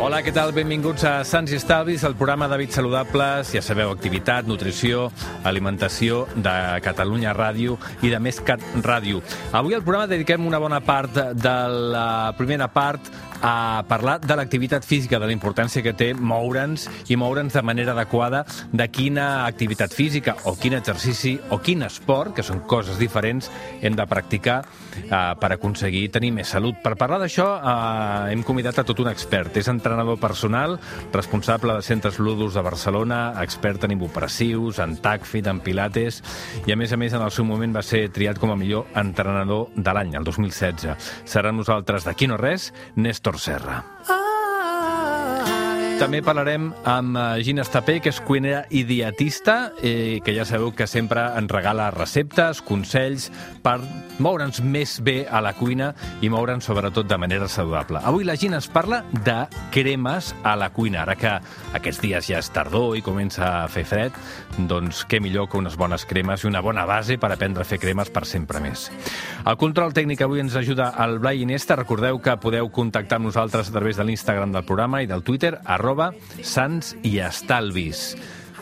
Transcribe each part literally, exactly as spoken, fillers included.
Hola, què tal? Benvinguts a Sants i Estalvis, el programa d'hàbits saludables, ja sabeu, activitat, nutrició, alimentació de Catalunya Ràdio i de Més Cat Ràdio. Avui al programa dediquem una bona part de la primera part a parlar de l'activitat física, de la importància que té moure'ns i moure'ns de manera adequada, de quina activitat física o quin exercici o quin esport, que són coses diferents, hem de practicar eh, per aconseguir tenir més salut. Per parlar d'això eh, hem convidat a tot un expert. És entrenador personal, responsable de Centres Ludus de Barcelona, expert en ibupressius, en TACFIT, en pilates, i a més a més en el seu moment va ser triat com a millor entrenador de l'any, el dos mil setze. Serà amb nosaltres d'aquí no res, Néstor Serra. També parlarem amb Gina Estapé, que és cuinera i dietista, eh, que ja sabeu que sempre ens regala receptes, consells per moure'ns més bé a la cuina i moure'ns sobretot de manera saludable. Avui la Gina ens parla de cremes a la cuina. Ara que aquests dies ja és tardor i comença a fer fred, doncs què millor que unes bones cremes i una bona base per aprendre a fer cremes per sempre més. El control tècnic avui ens ajuda el Blai Iniesta. Recordeu que podeu contactar amb nosaltres a través de l'Instagram del programa i del Twitter, arroba Sants i Estalvis.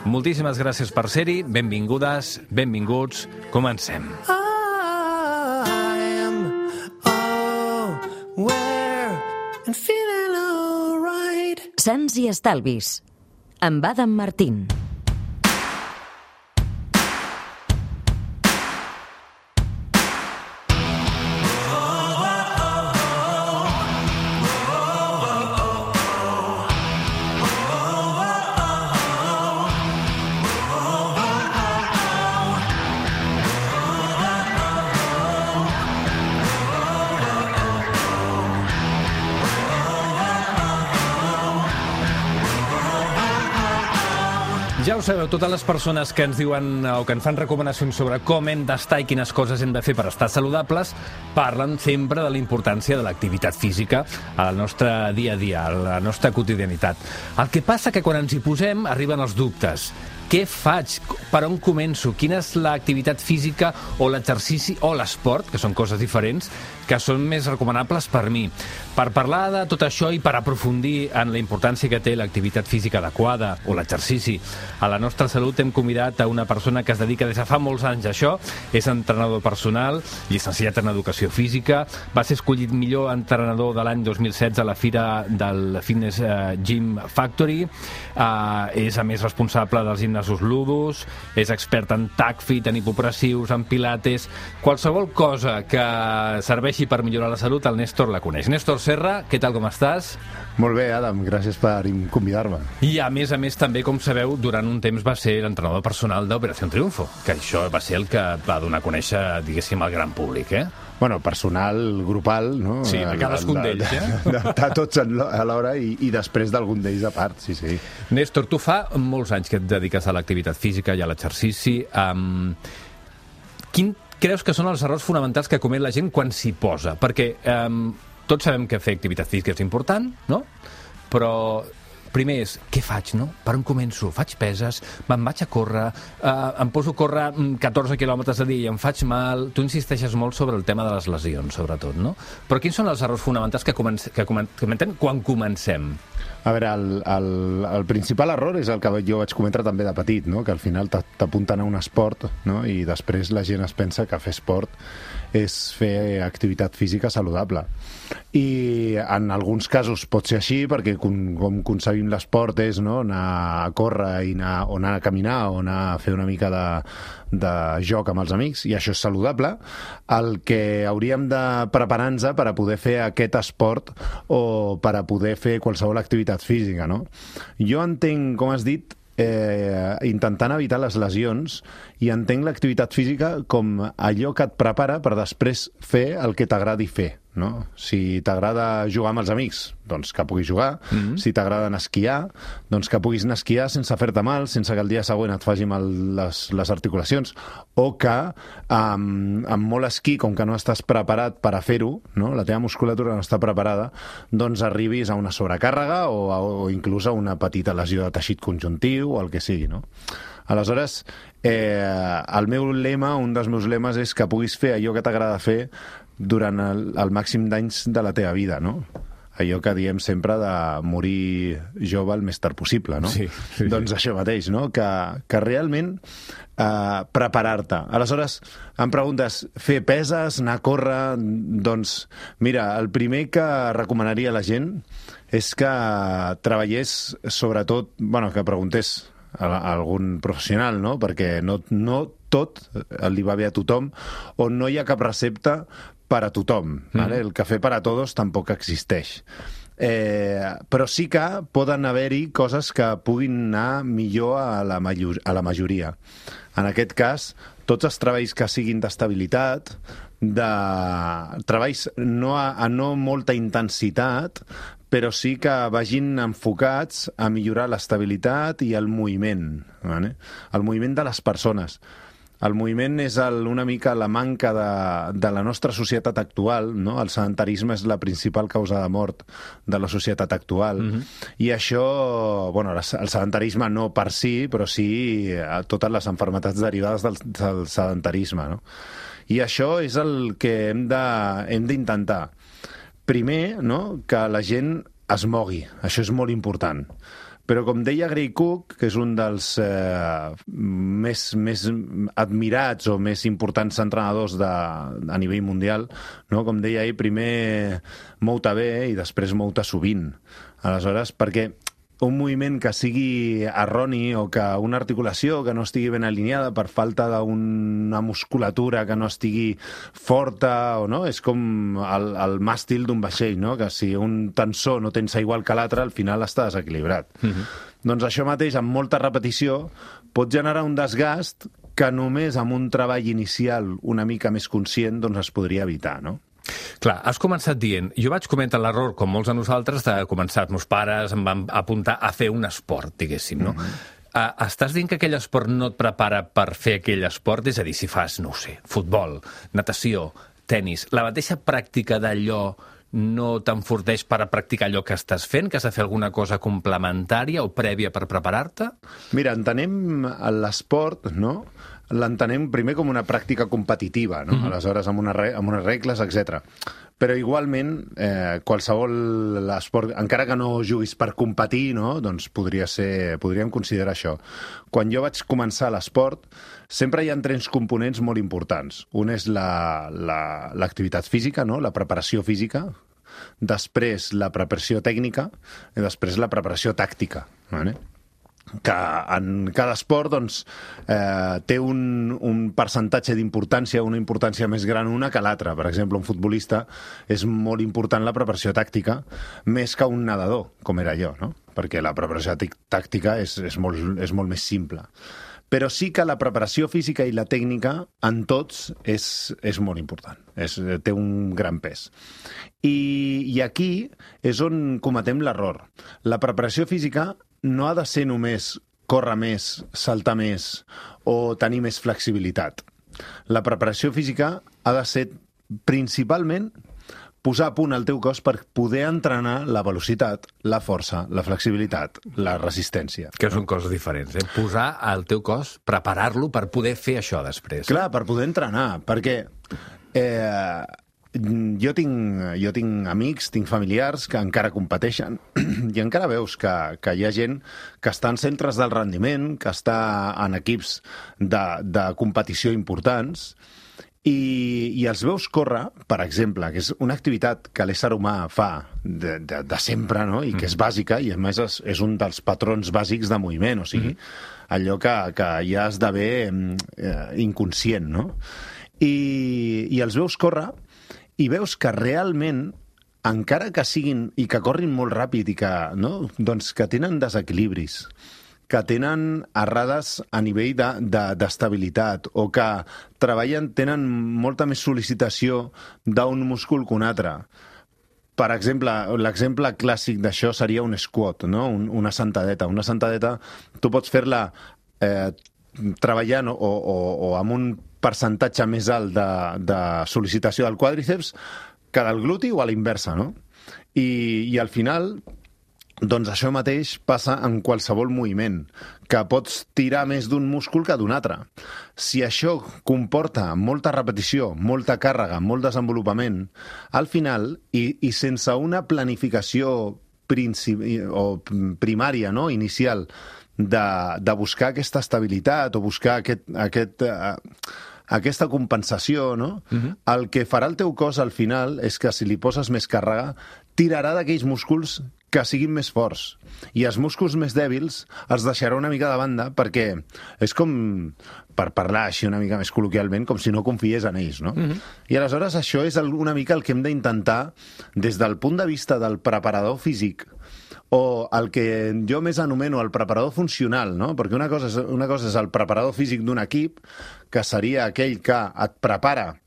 Moltíssimes gràcies per ser-hi, benvingudes, benvinguts, comencem. Sants i Estalvis, amb Adam Martín. Ja ho sabeu, totes les persones que ens diuen o que ens fan recomanacions sobre com hem d'estar i quines coses hem de fer per estar saludables parlen sempre de la importància de l'activitat física al nostre dia a dia, a la nostra quotidianitat. El que passa que quan ens hi posem arriben els dubtes. Què faig? Per on començo? Quina és l'activitat física o l'exercici o l'esport, que són coses diferents, que són més recomanables per mi? Per parlar de tot això i per aprofundir en la importància que té l'activitat física adequada o l'exercici a la nostra salut, hem convidat a una persona que es dedica des de fa molts anys a això. És entrenador personal, llicenciat en Educació Física, va ser escollit millor entrenador de l'any dos mil setze a la fira del Fitness Gym Factory, és a més responsable dels gimnasos Ludus, és expert en TACFIT, en ibupressius, en pilates, qualsevol cosa que serveixi per millorar la salut, el Néstor la coneix. Néstor Serra, què tal, com estàs? Molt bé, Adam, gràcies per convidar-me. I a més a més també, com sabeu, durant un temps va ser l'entrenador personal d'Operació Triunfo, que això va ser el que va donar a conèixer, diguéssim, al gran públic, eh? Bueno, personal, grupal, no? Sí, de cadascun d'ells, eh? De, de, de tots alhora i, i després d'algun d'ells a part, sí, sí. Néstor, tu fa molts anys que et dediques a l'activitat física i a l'exercici. Um, quin creus que són els errors fonamentals que comet la gent quan s'hi posa? Perquè um, tots sabem que fer activitat física és important, no? Però primer és, què faig, no? Per on començo? Faig peses? Me'n vaig a córrer? Uh, em poso a córrer catorze quilòmetres a dia i em faig mal? Tu insisteixes molt sobre el tema de les lesions, sobretot, no? Però quins són els errors fonamentals que, comencem, que comentem quan comencem? A veure, el, el, el principal error és el que jo vaig comentar també de petit, no? Que al final t'apunten a un esport, no? I després la gent es pensa que fer esport és fer activitat física saludable. I en alguns casos pot ser així, perquè com, com concebim l'esport és, no? Anar a córrer i anar, o anar a caminar o anar a fer una mica de, de joc amb els amics, i això és saludable. El que hauríem de preparar-nos per a poder fer aquest esport o per a poder fer qualsevol activitat física, no? Jo entenc, com has dit, eh, intentant evitar les lesions, i entenc l'activitat física com allò que et prepara per després fer el que t'agradi fer, no? Si t'agrada jugar amb els amics, doncs que puguis jugar. Mm-hmm. Si t'agrada anar a esquiar, doncs que puguis anar a esquiar sense fer-te mal, sense que el dia següent et faci mal les, les articulacions, o que amb, amb molt esquí, com que no estàs preparat per a fer-ho, no? La teva musculatura no està preparada, doncs arribis a una sobrecàrrega o, a, o inclús a una petita lesió de teixit conjuntiu o el que sigui, no? Aleshores, eh, el meu lema, un dels meus lemes és que puguis fer allò que t'agrada fer durant el, el màxim d'anys de la teva vida, no? allò que diem sempre de morir jove el més tard possible, no? Sí, sí, doncs sí. això mateix, no? Que, que realment eh, preparar-te. Aleshores, em preguntes, fer peses, anar a córrer... Doncs, mira, el primer que recomanaria a la gent és que treballés, sobretot, bueno, que preguntés a, a algun professional, no? Perquè no, no tot li va bé a tothom, o no hi ha cap recepta per a tothom. Mm. Vale? El cafè per a tots tampoc existeix. Eh, però sí que poden haver-hi coses que puguin anar millor a la, major, a la majoria. En aquest cas, tots els treballs que siguin d'estabilitat, de treballs no a, a no molta intensitat, però sí que vagin enfocats a millorar l'estabilitat i el moviment, vale? El moviment de les persones. El moviment és el, una mica la manca de, de la nostra societat actual, no? El sedentarisme és la principal causa de mort de la societat actual. Mm-hmm. I això, bueno, el sedentarisme no per si, però sí a totes les malalties derivades del, del sedentarisme, no? I això és el que hem de, hem d'intentar. Primer, no?, que la gent es mogui. Això és molt important. Però, com deia Gray Cook, que és un dels eh, més, més admirats o més importants entrenadors de, a nivell mundial, no? Com deia ell, primer mou-te bé i després mou-te sovint. Aleshores, perquè un moviment que sigui erroni o que una articulació que no estigui ben alineada per falta d'una musculatura que no estigui forta, o no? És com el, el màstil d'un vaixell, no? Que si un tensor no tens igual que l'altre, al final està desequilibrat. Mm-hmm. Doncs això mateix, amb molta repetició, pot generar un desgast que només amb un treball inicial una mica més conscient doncs es podria evitar, no? Clar, has començat dient, jo vaig cometre l'error, com molts de nosaltres, de començar, els meus pares em van apuntar a fer un esport, diguéssim, no? Mm-hmm. Uh, estàs dient que aquell esport no et prepara per fer aquell esport? És a dir, si fas, no ho sé, futbol, natació, tennis, la mateixa pràctica d'allò no t'enforteix per a practicar allò que estàs fent, que has de fer alguna cosa complementària o prèvia per preparar-te? Mira, entenem l'esport, no?, l'entenem primer com una pràctica competitiva, no? Mm-hmm. Aleshores, amb, una re amb unes regles, etcètera. Però igualment, eh, qualsevol esport, encara que no juguis per competir, no? Doncs podria ser, podríem considerar això. Quan jo vaig començar l'esport, sempre hi ha tres components molt importants. Un és l'activitat la, la, física, no? La preparació física, després la preparació tècnica i després la preparació tàctica, vale? Que en cada esport doncs, eh, té un, un percentatge d'importància, una importància més gran una que l'altra. Per exemple, un futbolista és molt important la preparació tàctica més que un nedador, com era jo, no? Perquè la preparació tàctica és, és, molt, és molt més simple. Però sí que la preparació física i la tècnica en tots és, és molt important, és, té un gran pes. I, I aquí és on cometem l'error. La preparació física no ha de ser només córrer més, saltar més o tenir més flexibilitat. La preparació física ha de ser principalment posar a punt el teu cos per poder entrenar la velocitat, la força, la flexibilitat, la resistència. Que són coses diferents, eh? Posar el teu cos, preparar-lo per poder fer això després. Clar, per poder entrenar, perquè eh, jo tinc, jo tinc amics, tinc familiars que encara competeixen i encara veus que, que hi ha gent que està en centres del rendiment, que està en equips de, de competició importants, I, i els veus córrer, per exemple, que és una activitat que l'ésser humà fa de, de, de sempre, no? I que és bàsica, i a més és, és un dels patrons bàsics de moviment, o sigui, mm-hmm. allò que, que ja esdevé eh, inconscient, no? I, i els veus córrer i veus que realment, encara que siguin i que corrin molt ràpid i que, no? Doncs que tenen desequilibris, que tenen errades a nivell d'estabilitat de, de, o que treballen, tenen molta més sol·licitació d'un múscul que un altre. Per exemple, l'exemple clàssic d'això seria un squat, no? un, una sentadeta. Una sentadeta tu pots fer-la eh, treballant o, o, o amb un percentatge més alt de, de sol·licitació del quàdriceps que del gluti o a la inversa, no? I, i al final, Doncs això mateix passa en qualsevol moviment, que pots tirar més d'un múscul que d'un altre. Si això comporta molta repetició, molta càrrega, molt desenvolupament, al final, i, i sense una planificació principi, o primària, no? Inicial, de, de buscar aquesta estabilitat o buscar aquest... aquest uh, aquesta compensació, no? Uh-huh. El que farà el teu cos al final és que si li poses més càrrega, tirarà d'aquells músculs que siguin més forts. I els músculs més dèbils els deixarà una mica de banda perquè és com, per parlar així una mica més col·loquialment, com si no confiés en ells, no? Uh-huh. I aleshores això és una mica el que hem d'intentar des del punt de vista del preparador físic o el que jo més anomeno el preparador funcional, no? Perquè una cosa és, una cosa és el preparador físic d'un equip, que seria aquell que et prepara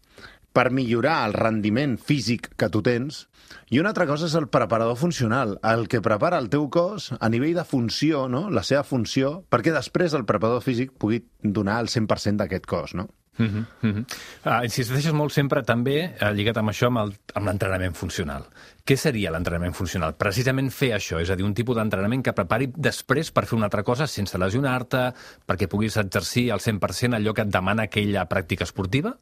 per millorar el rendiment físic que tu tens, i una altra cosa és el preparador funcional, el que prepara el teu cos a nivell de funció, no? La seva funció, perquè després el preparador físic pugui donar el cent per cent d'aquest cos, no? Uh-huh, uh-huh. Ah, insisteixes molt sempre també, eh, lligat amb això, amb, el, amb l'entrenament funcional. Què seria l'entrenament funcional? Precisament fer això, és a dir, un tipus d'entrenament que prepari després per fer una altra cosa sense lesionar-te, perquè puguis exercir al cent per cent allò que et demana aquella pràctica esportiva?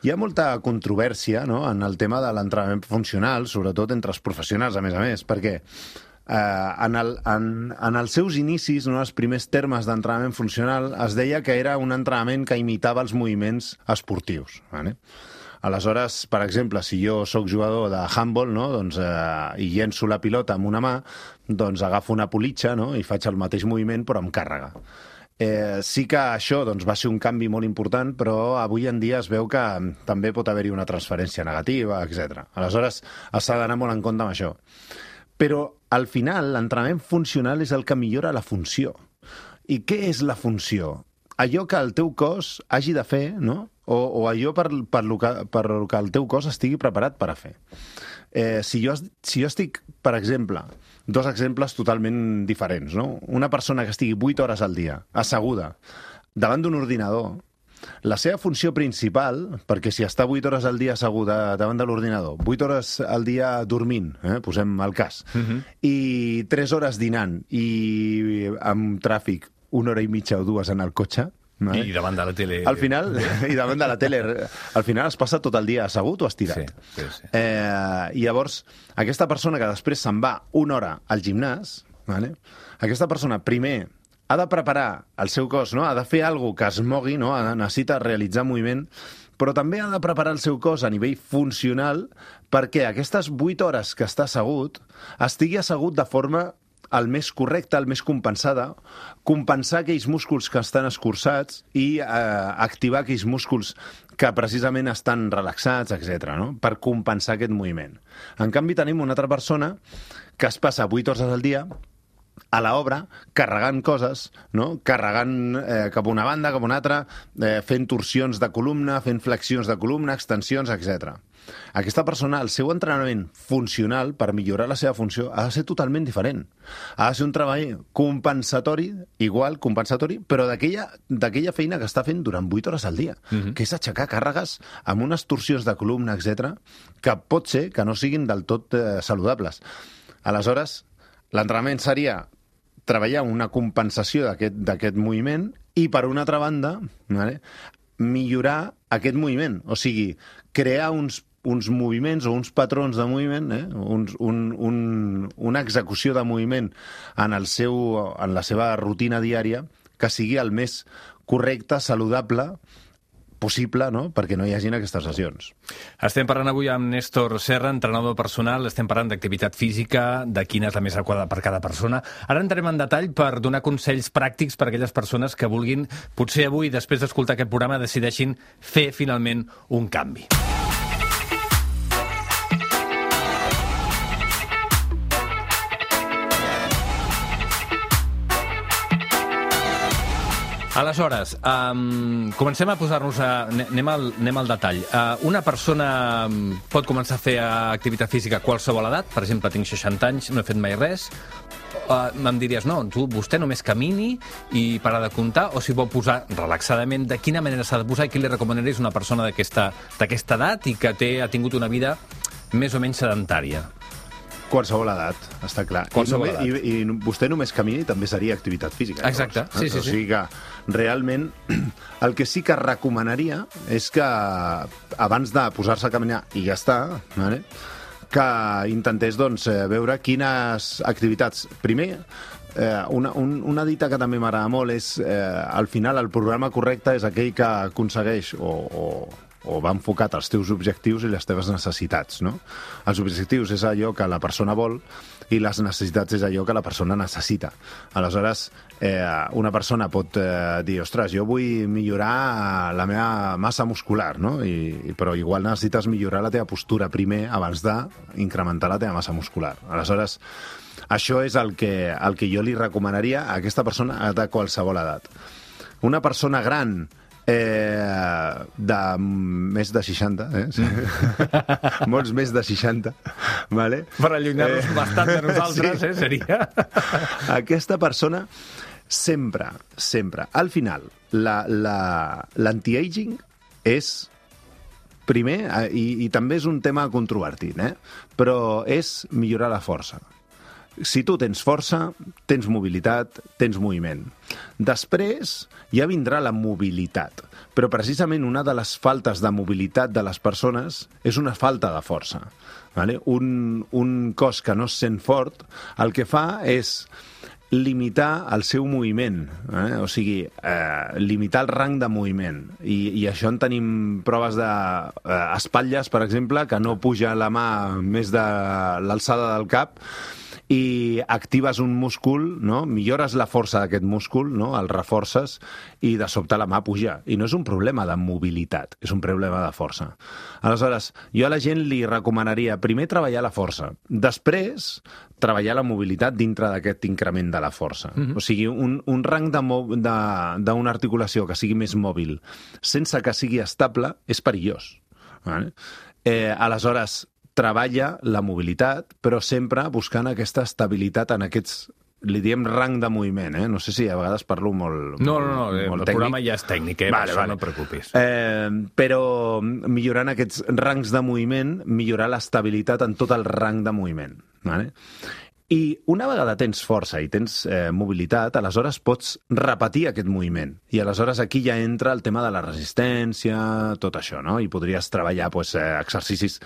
Hi ha molta controvèrsia, no?, en el tema de l'entrenament funcional, sobretot entre els professionals, a més a més, perquè eh, en, el, en, en els seus inicis, no, els primers termes d'entrenament funcional, es deia que era un entrenament que imitava els moviments esportius. Vale? Aleshores, per exemple, si jo sóc jugador de handball, no, doncs, eh, i llenço la pilota amb una mà, doncs agafo una politxa, no, i faig el mateix moviment però amb càrrega. Eh, sí que això doncs, va ser un canvi molt important, però avui en dia es veu que també pot haver-hi una transferència negativa, etcètera. Aleshores, s'ha d'anar molt en compte amb això. Però, al final, l'entrenament funcional és el que millora la funció. I què és la funció? Allò que el teu cos hagi de fer, no? O, o allò per, per, lo que, per lo que el teu cos estigui preparat per a fer. Eh, si, jo, si jo estic, per exemple, dos exemples totalment diferents, no? Una persona que estigui vuit hores al dia, asseguda, davant d'un ordinador, la seva funció principal, perquè si està vuit hores al dia asseguda davant de l'ordinador, vuit hores al dia dormint, eh, posem el cas, uh-huh. i tres hores dinant, i amb tràfic una hora i mitja o dues en el cotxe, no, eh? I davant de la tele... Al final, i davant de la tele, al final es passa tot el dia assegut o estirat. Sí, sí, sí. Eh, I llavors, aquesta persona que després se'n va una hora al gimnàs, vale? Aquesta persona primer ha de preparar el seu cos, no? Ha de fer alguna que es mogui, no? Necessita realitzar moviment, però també ha de preparar el seu cos a nivell funcional perquè aquestes vuit hores que està assegut estigui assegut de forma el més correcte, el més compensada, compensar aquells músculs que estan escurçats i eh, activar aquells músculs que precisament estan relaxats, etcètera, no? Per compensar aquest moviment. En canvi, tenim una altra persona que es passa vuit hores al dia a l'obra, carregant coses, no? Carregant eh, cap a una banda, cap a una altra, eh, fent torsions de columna, fent flexions de columna, extensions, etcètera. Aquesta persona, el seu entrenament funcional per millorar la seva funció ha de ser totalment diferent. Ha de ser un treball compensatori, igual, compensatori, però d'aquella d'aquella feina que està fent durant vuit hores al dia, uh-huh. que és aixecar càrregues amb unes torsions de columna, etcètera, que pot ser que no siguin del tot eh, saludables. Aleshores, l'entrenament seria treballar una compensació d'aquest d'aquest moviment i, per una altra banda, vale, millorar aquest moviment, o sigui, crear uns uns moviments o uns patrons de moviment, eh? uns, un, un, una execució de moviment en, el seu, en la seva rutina diària que sigui el més correcte, saludable possible, no? Perquè no hi hagin aquestes lesions. Estem parlant avui amb Néstor Serra, entrenador personal, estem parlant d'activitat física, de quina és la més adequada per cada persona. Ara entrem en detall per donar consells pràctics per a aquelles persones que vulguin, potser avui, després d'escoltar aquest programa, decideixin fer finalment un canvi. Aleshores, um, comencem a posar-nos a... Anem al, anem al detall. Uh, una persona pot començar a fer activitat física a qualsevol edat. Per exemple, tinc seixanta anys, no he fet mai res. Uh, em diries, no, tu, vostè només camini i parar de comptar, o si vol posar relaxadament, de quina manera s'ha de posar i què li recomanaries a una persona d'aquesta d'aquesta edat i que té, ha tingut una vida més o menys sedentària? Qualsevol edat, està clar. Qualsevol I, només, i, I vostè només camini també seria activitat física. Exacte, llavors, sí, sí, o sigui que realment el que sí que recomanaria és que abans de posar-se a caminar i ja està, vale? Que intentés doncs, veure quines activitats... Primer, eh, una, un, una dita que també m'agrada molt és eh, al final el programa correcte és aquell que aconsegueix o... o o va enfocat als teus objectius i les teves necessitats, no? Els objectius és allò que la persona vol i les necessitats és allò que la persona necessita. Aleshores, eh, una persona pot eh, dir, ostres, jo vull millorar la meva massa muscular, no? I, però igual necessites millorar la teva postura primer abans d'incrementar la teva massa muscular. Aleshores, això és el que, el que jo li recomanaria a aquesta persona de qualsevol edat. Una persona gran Eh, de més de seixanta, eh? Sí. Molts més de seixanta, vale? Per allunyar-nos eh... bastant de nosaltres, sí. eh, seria. Aquesta persona sempre, sempre, al final, l'anti-aging és primer, i, i també és un tema controvertit, eh? Però és millorar la força. Si tu tens força, tens mobilitat, tens moviment. Després ja vindrà la mobilitat, però precisament una de les faltes de mobilitat de les persones és una falta de força. Vale? Un, un cos que no es sent fort el que fa és limitar el seu moviment, eh? O sigui, eh, limitar el rang de moviment. I, i això en tenim proves d'espatlles, eh, per exemple, que no puja la mà més de l'alçada del cap, i actives un múscul, no? Millores la força d'aquest múscul, no? El reforces i de sobte la mà puja. I no és un problema de mobilitat, és un problema de força. Aleshores, jo a la gent li recomanaria primer treballar la força, després treballar la mobilitat dintre d'aquest increment de la força. Mm-hmm. O sigui, un, un rang d'una articulació que sigui més mòbil sense que sigui estable és perillós. Vale? Eh, aleshores, treballa la mobilitat, però sempre buscant aquesta estabilitat en aquests, li diem rang de moviment, eh? No sé si a vegades parlo molt No, no, no, molt el tècnic. programa ja és tècnic, eh? Vale, Per això vale. no et preocupis. Eh, però millorant aquests rangs de moviment, millorar l'estabilitat en tot el rang de moviment. Vale? I una vegada tens força i tens eh, mobilitat, aleshores pots repetir aquest moviment. I aleshores aquí ja entra el tema de la resistència, tot això, no? I podries treballar pues, eh, exercicis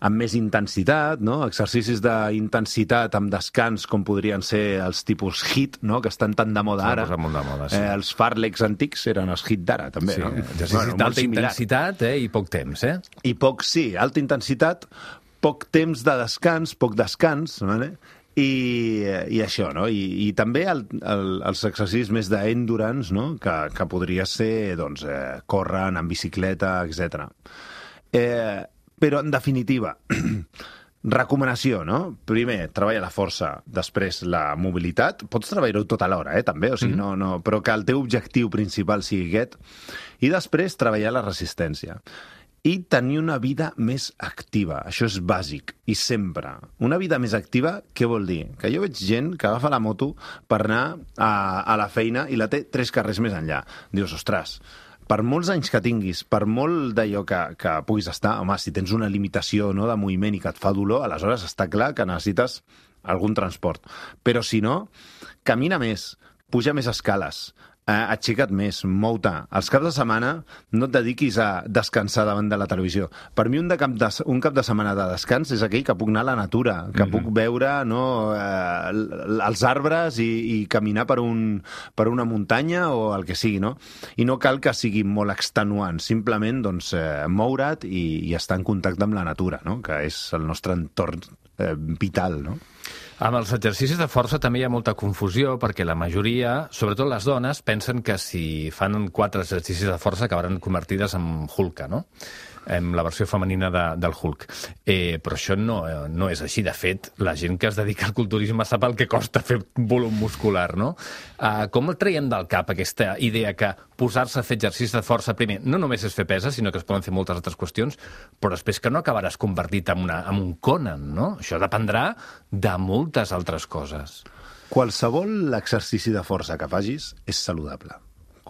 amb més intensitat, no? Exercicis d'intensitat amb descans, com podrien ser els tipus HIIT, no? Que estan tan de moda ara. De moda, sí. eh, els Farlex antics eren els HIIT d'ara, també. Sí, no? exercicis Bueno, d'alta intensitat eh? I poc temps, eh? I poc, sí, alta intensitat, poc temps de descans, poc descans, vale? I, i això, no? I, i també el, el, els exercicis més d'endurance, no? Que, que podria ser, doncs, eh, córrer, anar en bicicleta, etcètera. Eh, però, en definitiva, recomanació, no? Primer, treballa la força, després la mobilitat. Pots treballar-ho tot alhora, eh, també, o sigui, mm-hmm. no, no, però que el teu objectiu principal sigui aquest. I després, treballar la resistència. I tenir una vida més activa. Això és bàsic, i sempre. Una vida més activa, què vol dir? Que jo veig gent que agafa la moto per anar a, a la feina i la té tres carrers més enllà. Dius, ostres, per molts anys que tinguis, per molt d'allò que, que puguis estar, home, si tens una limitació, no, de moviment i que et fa dolor, aleshores està clar que necessites algun transport. Però si no, camina més, puja més escales, eh, aixeca't més, mou-te. Els caps de setmana no et dediquis a descansar davant de la televisió. Per mi un, de cap, de, un cap de setmana de descans és aquell que puc anar a la natura, que mm-hmm. puc veure, no, eh, els arbres i, i caminar per, un, per una muntanya o el que sigui, no? I no cal que sigui molt extenuant, simplement doncs, eh, moure't i, i estar en contacte amb la natura, no? Que és el nostre entorn eh, vital, no? Amb els exercicis de força també hi ha molta confusió perquè la majoria, sobretot les dones, pensen que si fan quatre exercicis de força acabaran convertides en Hulka, no? En la versió femenina de, del Hulk. Eh, però això no, no és així. De fet, la gent que es dedica al culturisme sap el que costa fer volum muscular, no? Uh, com el traiem del cap aquesta idea que posar-se a fer exercicis de força primer no només és fer peses, sinó que es poden fer moltes altres qüestions, però després que no acabaràs convertit en, una, en un Conan, no? Això dependrà de moltes altres coses. Qualsevol exercici de força que facis és saludable.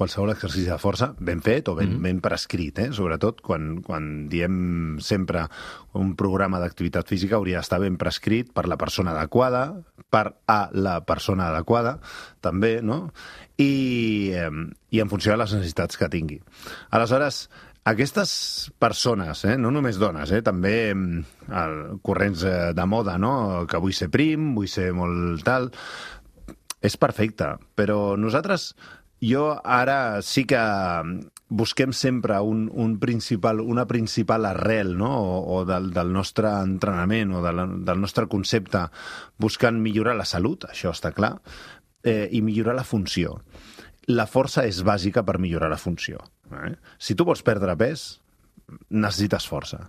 qualsevol exercici de força ben fet o ben, mm. ben prescrit, eh? Sobretot quan, quan diem sempre un programa d'activitat física hauria d'estar ben prescrit per la persona adequada, per a la persona adequada, també, no? I, eh, i en funció de les necessitats que tingui. Aleshores, aquestes persones, eh, no només dones, eh, també eh, corrents eh, de moda, no? Que vull ser prim, vull ser molt tal... És perfecte, però nosaltres, jo ara sí que busquem sempre un, un principal, una principal arrel, no? o, o del, del nostre entrenament o de la, del nostre concepte, buscant millorar la salut, això està clar, eh, i millorar la funció. La força és bàsica per millorar la funció. Eh? Si tu vols perdre pes, necessites força.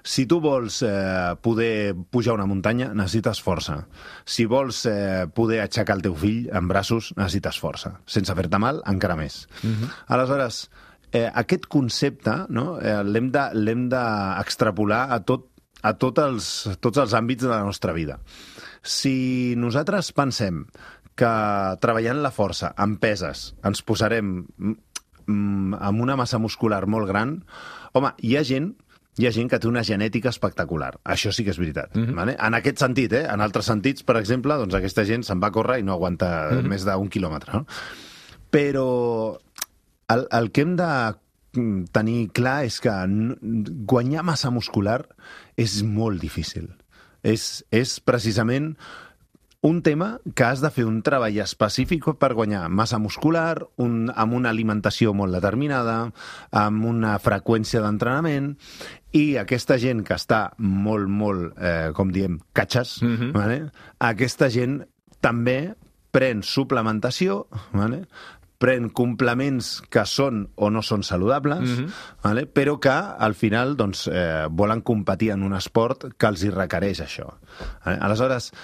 Si tu vols eh, poder pujar una muntanya, necessites força. Si vols eh, poder aixecar el teu fill en braços, necessites força. Sense fer-te mal, encara més. Uh-huh. Aleshores, eh, aquest concepte, no, eh, l'hem de, l'hem d'extrapolar a, tot, a tot els, tots els àmbits de la nostra vida. Si nosaltres pensem que treballant la força amb peses ens posarem mm, amb una massa muscular molt gran, home, hi ha gent, hi ha gent que té una genètica espectacular. Això sí que és veritat. Mm-hmm. Vale? En aquest sentit, eh? En altres sentits, per exemple, doncs aquesta gent se'n va a córrer i no aguanta mm-hmm. més d'un quilòmetre. No? Però el, el que hem de tenir clar és que guanyar massa muscular és molt difícil. És, és precisament un tema que has de fer un treball específic per guanyar massa muscular, un, amb una alimentació molt determinada, amb una freqüència d'entrenament, i aquesta gent que està molt, molt, eh, com diem, catxes, mm-hmm. vale? Aquesta gent també pren suplementació, vale? Pren complements que són o no són saludables, mm-hmm. vale? Però que al final doncs, eh, volen competir en un esport que els hi requereix això. Vale? Aleshores,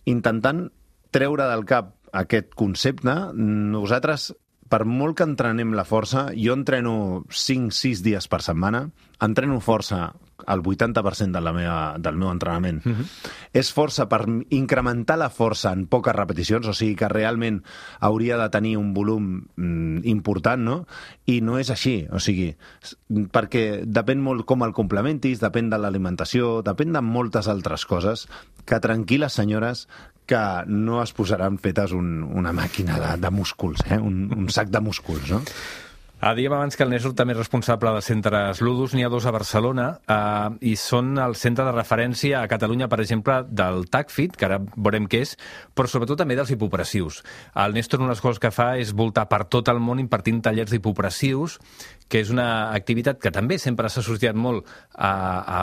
intentant treure del cap aquest concepte, nosaltres, per molt que entrenem la força, jo entreno cinc sis dies per setmana, entreno força el vuitanta per cent de la meva, del meu entrenament. Mm-hmm. És força per incrementar la força en poques repeticions, o sigui que realment hauria de tenir un volum mm, important, no? I no és així, o sigui, perquè depèn molt com el complementis, depèn de l'alimentació, depèn de moltes altres coses, que tranquil·les senyores, que no es posaran fetes un, una màquina de, de músculs, eh? un, un sac de músculs, no? Ah, dèiem abans que el Néstor també és responsable de centres Ludus, n'hi ha dos a Barcelona, eh, i són el centre de referència a Catalunya, per exemple, del TACFIT, que ara veurem què és, però sobretot també dels hipopressius. El Néstor, una de les coses que fa és voltar per tot el món impartint tallers d'hipopressius, que és una activitat que també sempre s'ha associat molt a, a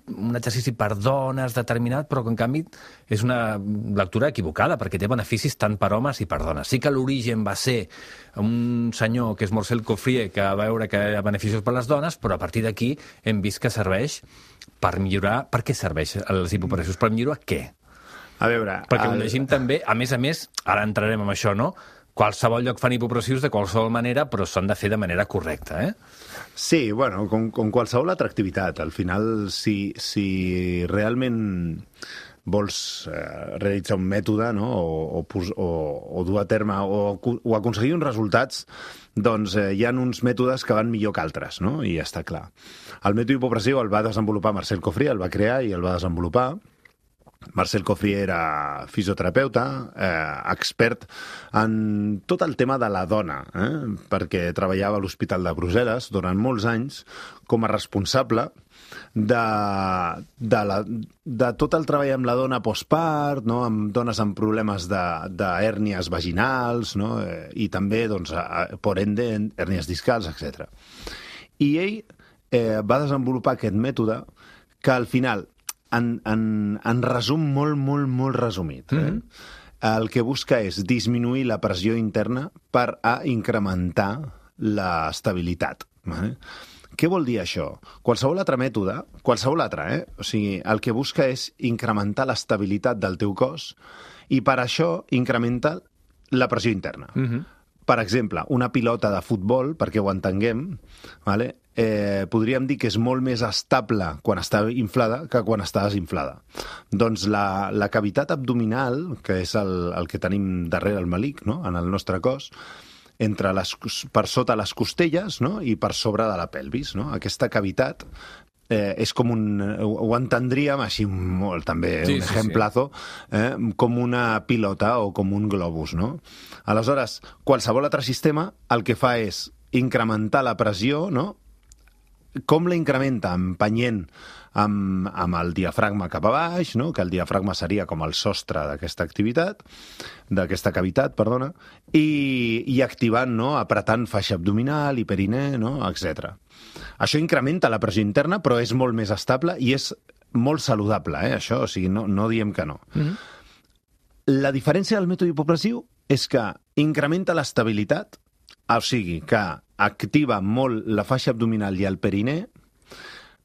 un exercici per dones determinat, però que en canvi és una lectura equivocada, perquè té beneficis tant per homes i per dones. Sí que l'origen va ser un senyor que és Marcel Coffrier, que va veure que hi ha beneficis per les dones, però a partir d'aquí hem vist que serveix per millorar... Per què serveix els hipopressius? Per millorar què? A veure... Perquè el... ho llegim també, a més a més, ara entrarem en això, no? Qualsevol lloc fan hipopressius de qualsevol manera, però s'han de fer de manera correcta, eh? Sí, bueno, com, com qualsevol altra activitat. Al final, si, si realment vols eh, realitzar un mètode, no? o, o, o, o dur a terme o, o aconseguir uns resultats, doncs eh, hi ha uns mètodes que van millor que altres, no? I ja està clar. El mètode hipopressiu el va desenvolupar Marcel Coffrier, el va crear i el va desenvolupar. Marcel Coffrier era fisioterapeuta, eh, expert en tot el tema de la dona, eh, perquè treballava a l'Hospital de Brussel·les durant molts anys com a responsable de, de, la, de tot el treball amb la dona postpart, no? Amb dones amb problemes d'hèrnies vaginals, no? eh, i també, doncs, a, por ende, hèrnies discals, etcètera. I ell eh, va desenvolupar aquest mètode que al final, En, en, en resum molt, molt, molt resumit. Eh? Mm-hmm. El que busca és disminuir la pressió interna per a incrementar l'estabilitat. Eh? Què vol dir això? Qualsevol altre mètode, qualsevol altre, eh? O sigui, el que busca és incrementar l'estabilitat del teu cos i per això incrementa la pressió interna. Mm-hmm. Per exemple, una pilota de futbol, perquè ho entenguem, vale? eh, podríem dir que és molt més estable quan està inflada que quan està desinflada. Doncs la, la cavitat abdominal, que és el, el que tenim darrere el melic, no? En el nostre cos, entre les, per sota les costelles, no? I per sobre de la pelvis, no? Aquesta cavitat eh, és com un... Ho entendríem, així molt també, sí, un sí, ejemplazo, eh, com una pilota o com un globus, no? Aleshores, qualsevol altre sistema el que fa és incrementar la pressió, no? Com la incrementa? Empenyent amb, amb el diafragma cap a baix, no? Que el diafragma seria com el sostre d'aquesta activitat, d'aquesta cavitat, perdona, i, i activant, no? Apretant faixa abdominal, hiperinè, no? etcètera. Això incrementa la pressió interna, però és molt més estable i és molt saludable, eh? Això, o sigui, no, no diem que no. Mm-hmm. La diferència del mètode hipopressiu és que incrementa l'estabilitat, o sigui, que activa molt la faixa abdominal i el perinè,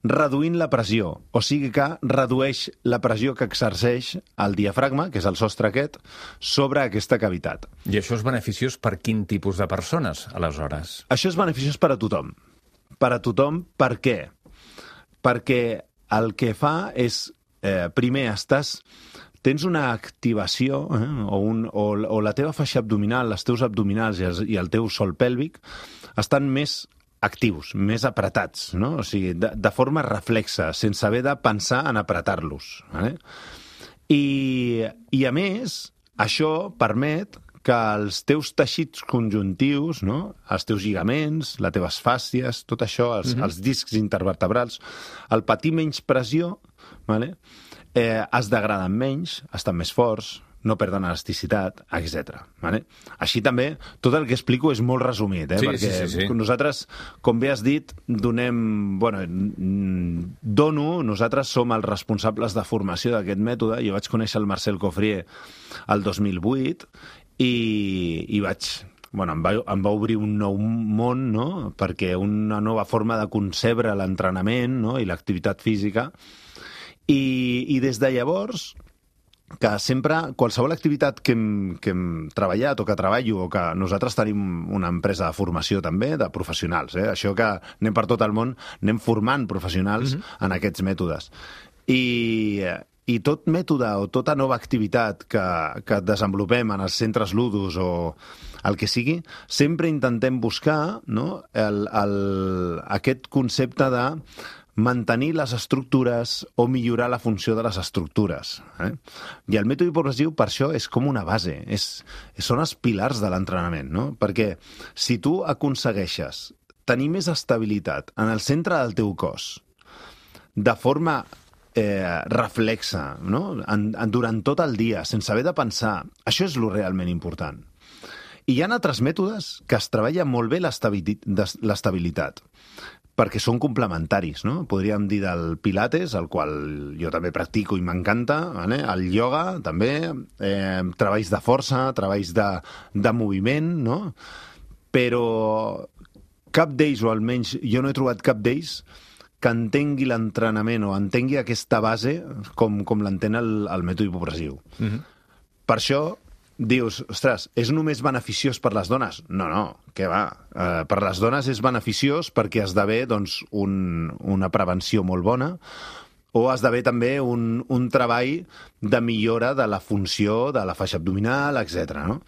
reduint la pressió, o sigui que redueix la pressió que exerceix el diafragma, que és el sostre aquest, sobre aquesta cavitat. I això és beneficiós per quin tipus de persones, aleshores? Això és beneficiós per a tothom. Per a tothom, per què? Perquè el que fa és, eh, primer, estàs... Tens una activació, eh, o, un, o, o la teva faixa abdominal, els teus abdominals i, els, i el teu sòl pèlvic estan més actius, més apretats, no? O sigui, de, de forma reflexa, sense haver de pensar en apretar-los. Vale? I, I, a més, això permet que els teus teixits conjuntius, no? Els teus lligaments, les teves fàscies, tot això, els, mm-hmm. els discs intervertebrals, al patir menys pressió, vale? eh, es degraden menys, estan més forts, no perden elasticitat, etcètera. Vale? Així també, tot el que explico és molt resumit, eh? Sí, perquè sí, sí, sí. nosaltres, com bé has dit, donem... Bueno, dono, nosaltres som els responsables de formació d'aquest mètode. Jo vaig conèixer el Marcel Cofrier el dos mil vuit i, i vaig... Bueno, em va, em va obrir un nou món, no? Perquè una nova forma de concebre l'entrenament, no? I l'activitat física. I, i des de llavors, que sempre, qualsevol activitat que hem, que hem treballat o que treballo, o que nosaltres tenim una empresa de formació també, de professionals, eh? Això que anem per tot el món, anem formant professionals mm-hmm. en aquests mètodes. I, i tot mètode o tota nova activitat que, que desenvolupem en els centres ludus o el que sigui, sempre intentem buscar, no? el, el, aquest concepte de mantenir les estructures o millorar la funció de les estructures. Eh? I el mètode hipopressiu, per això, és com una base. És, són els pilars de l'entrenament, no? Perquè si tu aconsegueixes tenir més estabilitat en el centre del teu cos, de forma eh, reflexa, no? en, en, durant tot el dia, sense haver de pensar, això és lo realment important. I hi ha altres mètodes que es treballa molt bé l'estabilitat, perquè són complementaris, no? Podríem dir del Pilates, el qual jo també practico i m'encanta, vale? El ioga, també, eh, treballs de força, treballs de, de moviment, no? Però cap d'ells, o almenys jo no he trobat cap d'ells, que entengui l'entrenament o entengui aquesta base com, com l'entén el, el mètode hipopressiu. Mm-hmm. Per això dius, ostres, és només beneficiós per les dones? No, no, què va? Uh, per les dones és beneficiós perquè esdevé doncs, un, una prevenció molt bona o esdevé també un, un treball de millora de la funció de la faixa abdominal, etcètera. No?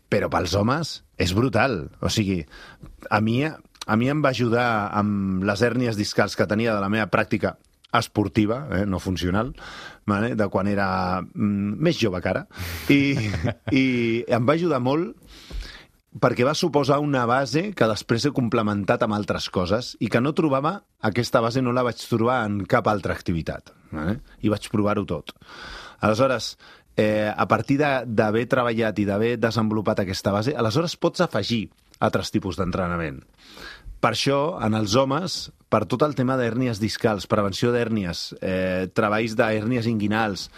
Però pels homes és brutal. O sigui, a mi, a mi em va ajudar amb les hèrnies discals que tenia de la meva pràctica esportiva, eh, no funcional, vale? De quan era mm, més jove que ara, i, i em va ajudar molt perquè va suposar una base que després he complementat amb altres coses i que no trobava, aquesta base no la vaig trobar en cap altra activitat, vale? I vaig provar-ho tot. Aleshores, eh, a partir d'haver treballat i d'haver desenvolupat aquesta base, aleshores pots afegir altres tipus d'entrenament. Per això, en els homes, per tot el tema d'hèrnies discals, prevenció d'hèrnies, eh, treballs d'hèrnies inguinals,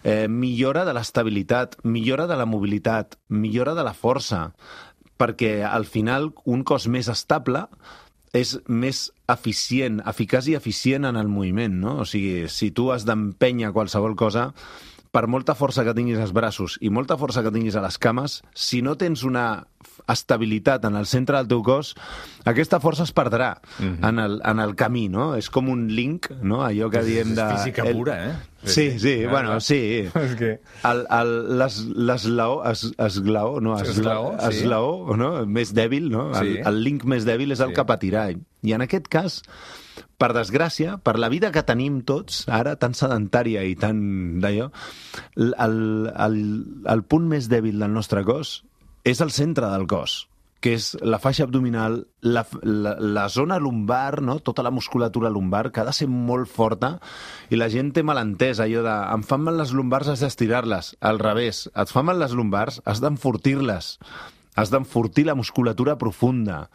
eh, millora de l'estabilitat, millora de la mobilitat, millora de la força, perquè al final un cos més estable és més eficient, eficaç i eficient en el moviment, no? O sigui, si tu has d'empènyer qualsevol cosa, per molta força que tinguis als braços i molta força que tinguis a les cames, si no tens una estabilitat en el centre del teu cos, aquesta força es perdrà mm-hmm. en, el, en el camí, no? És com un link, no? Allò que diem de... És física el, pura, eh? Sí, sí, sí, bueno, sí. És que... El, el, les, l'eslaó, es, esglaó, no, esglaó, esglaó, sí. esglaó, no? Més dèbil, no? Sí. El, el link més dèbil és el Sí. que patirà. I en aquest cas, per desgràcia, per la vida que tenim tots, ara, tan sedentària i tan d'allò, el, el, el punt més dèbil del nostre cos és el centre del cos, que és la faixa abdominal, la, la, la zona lumbar, no? Tota la musculatura lumbar, que ha de ser molt forta, i la gent té malentès allò de em fan mal les lumbars, has d'estirar-les. Al revés, et fan mal les lumbars, has d'enfortir-les. Has d'enfortir la musculatura profunda,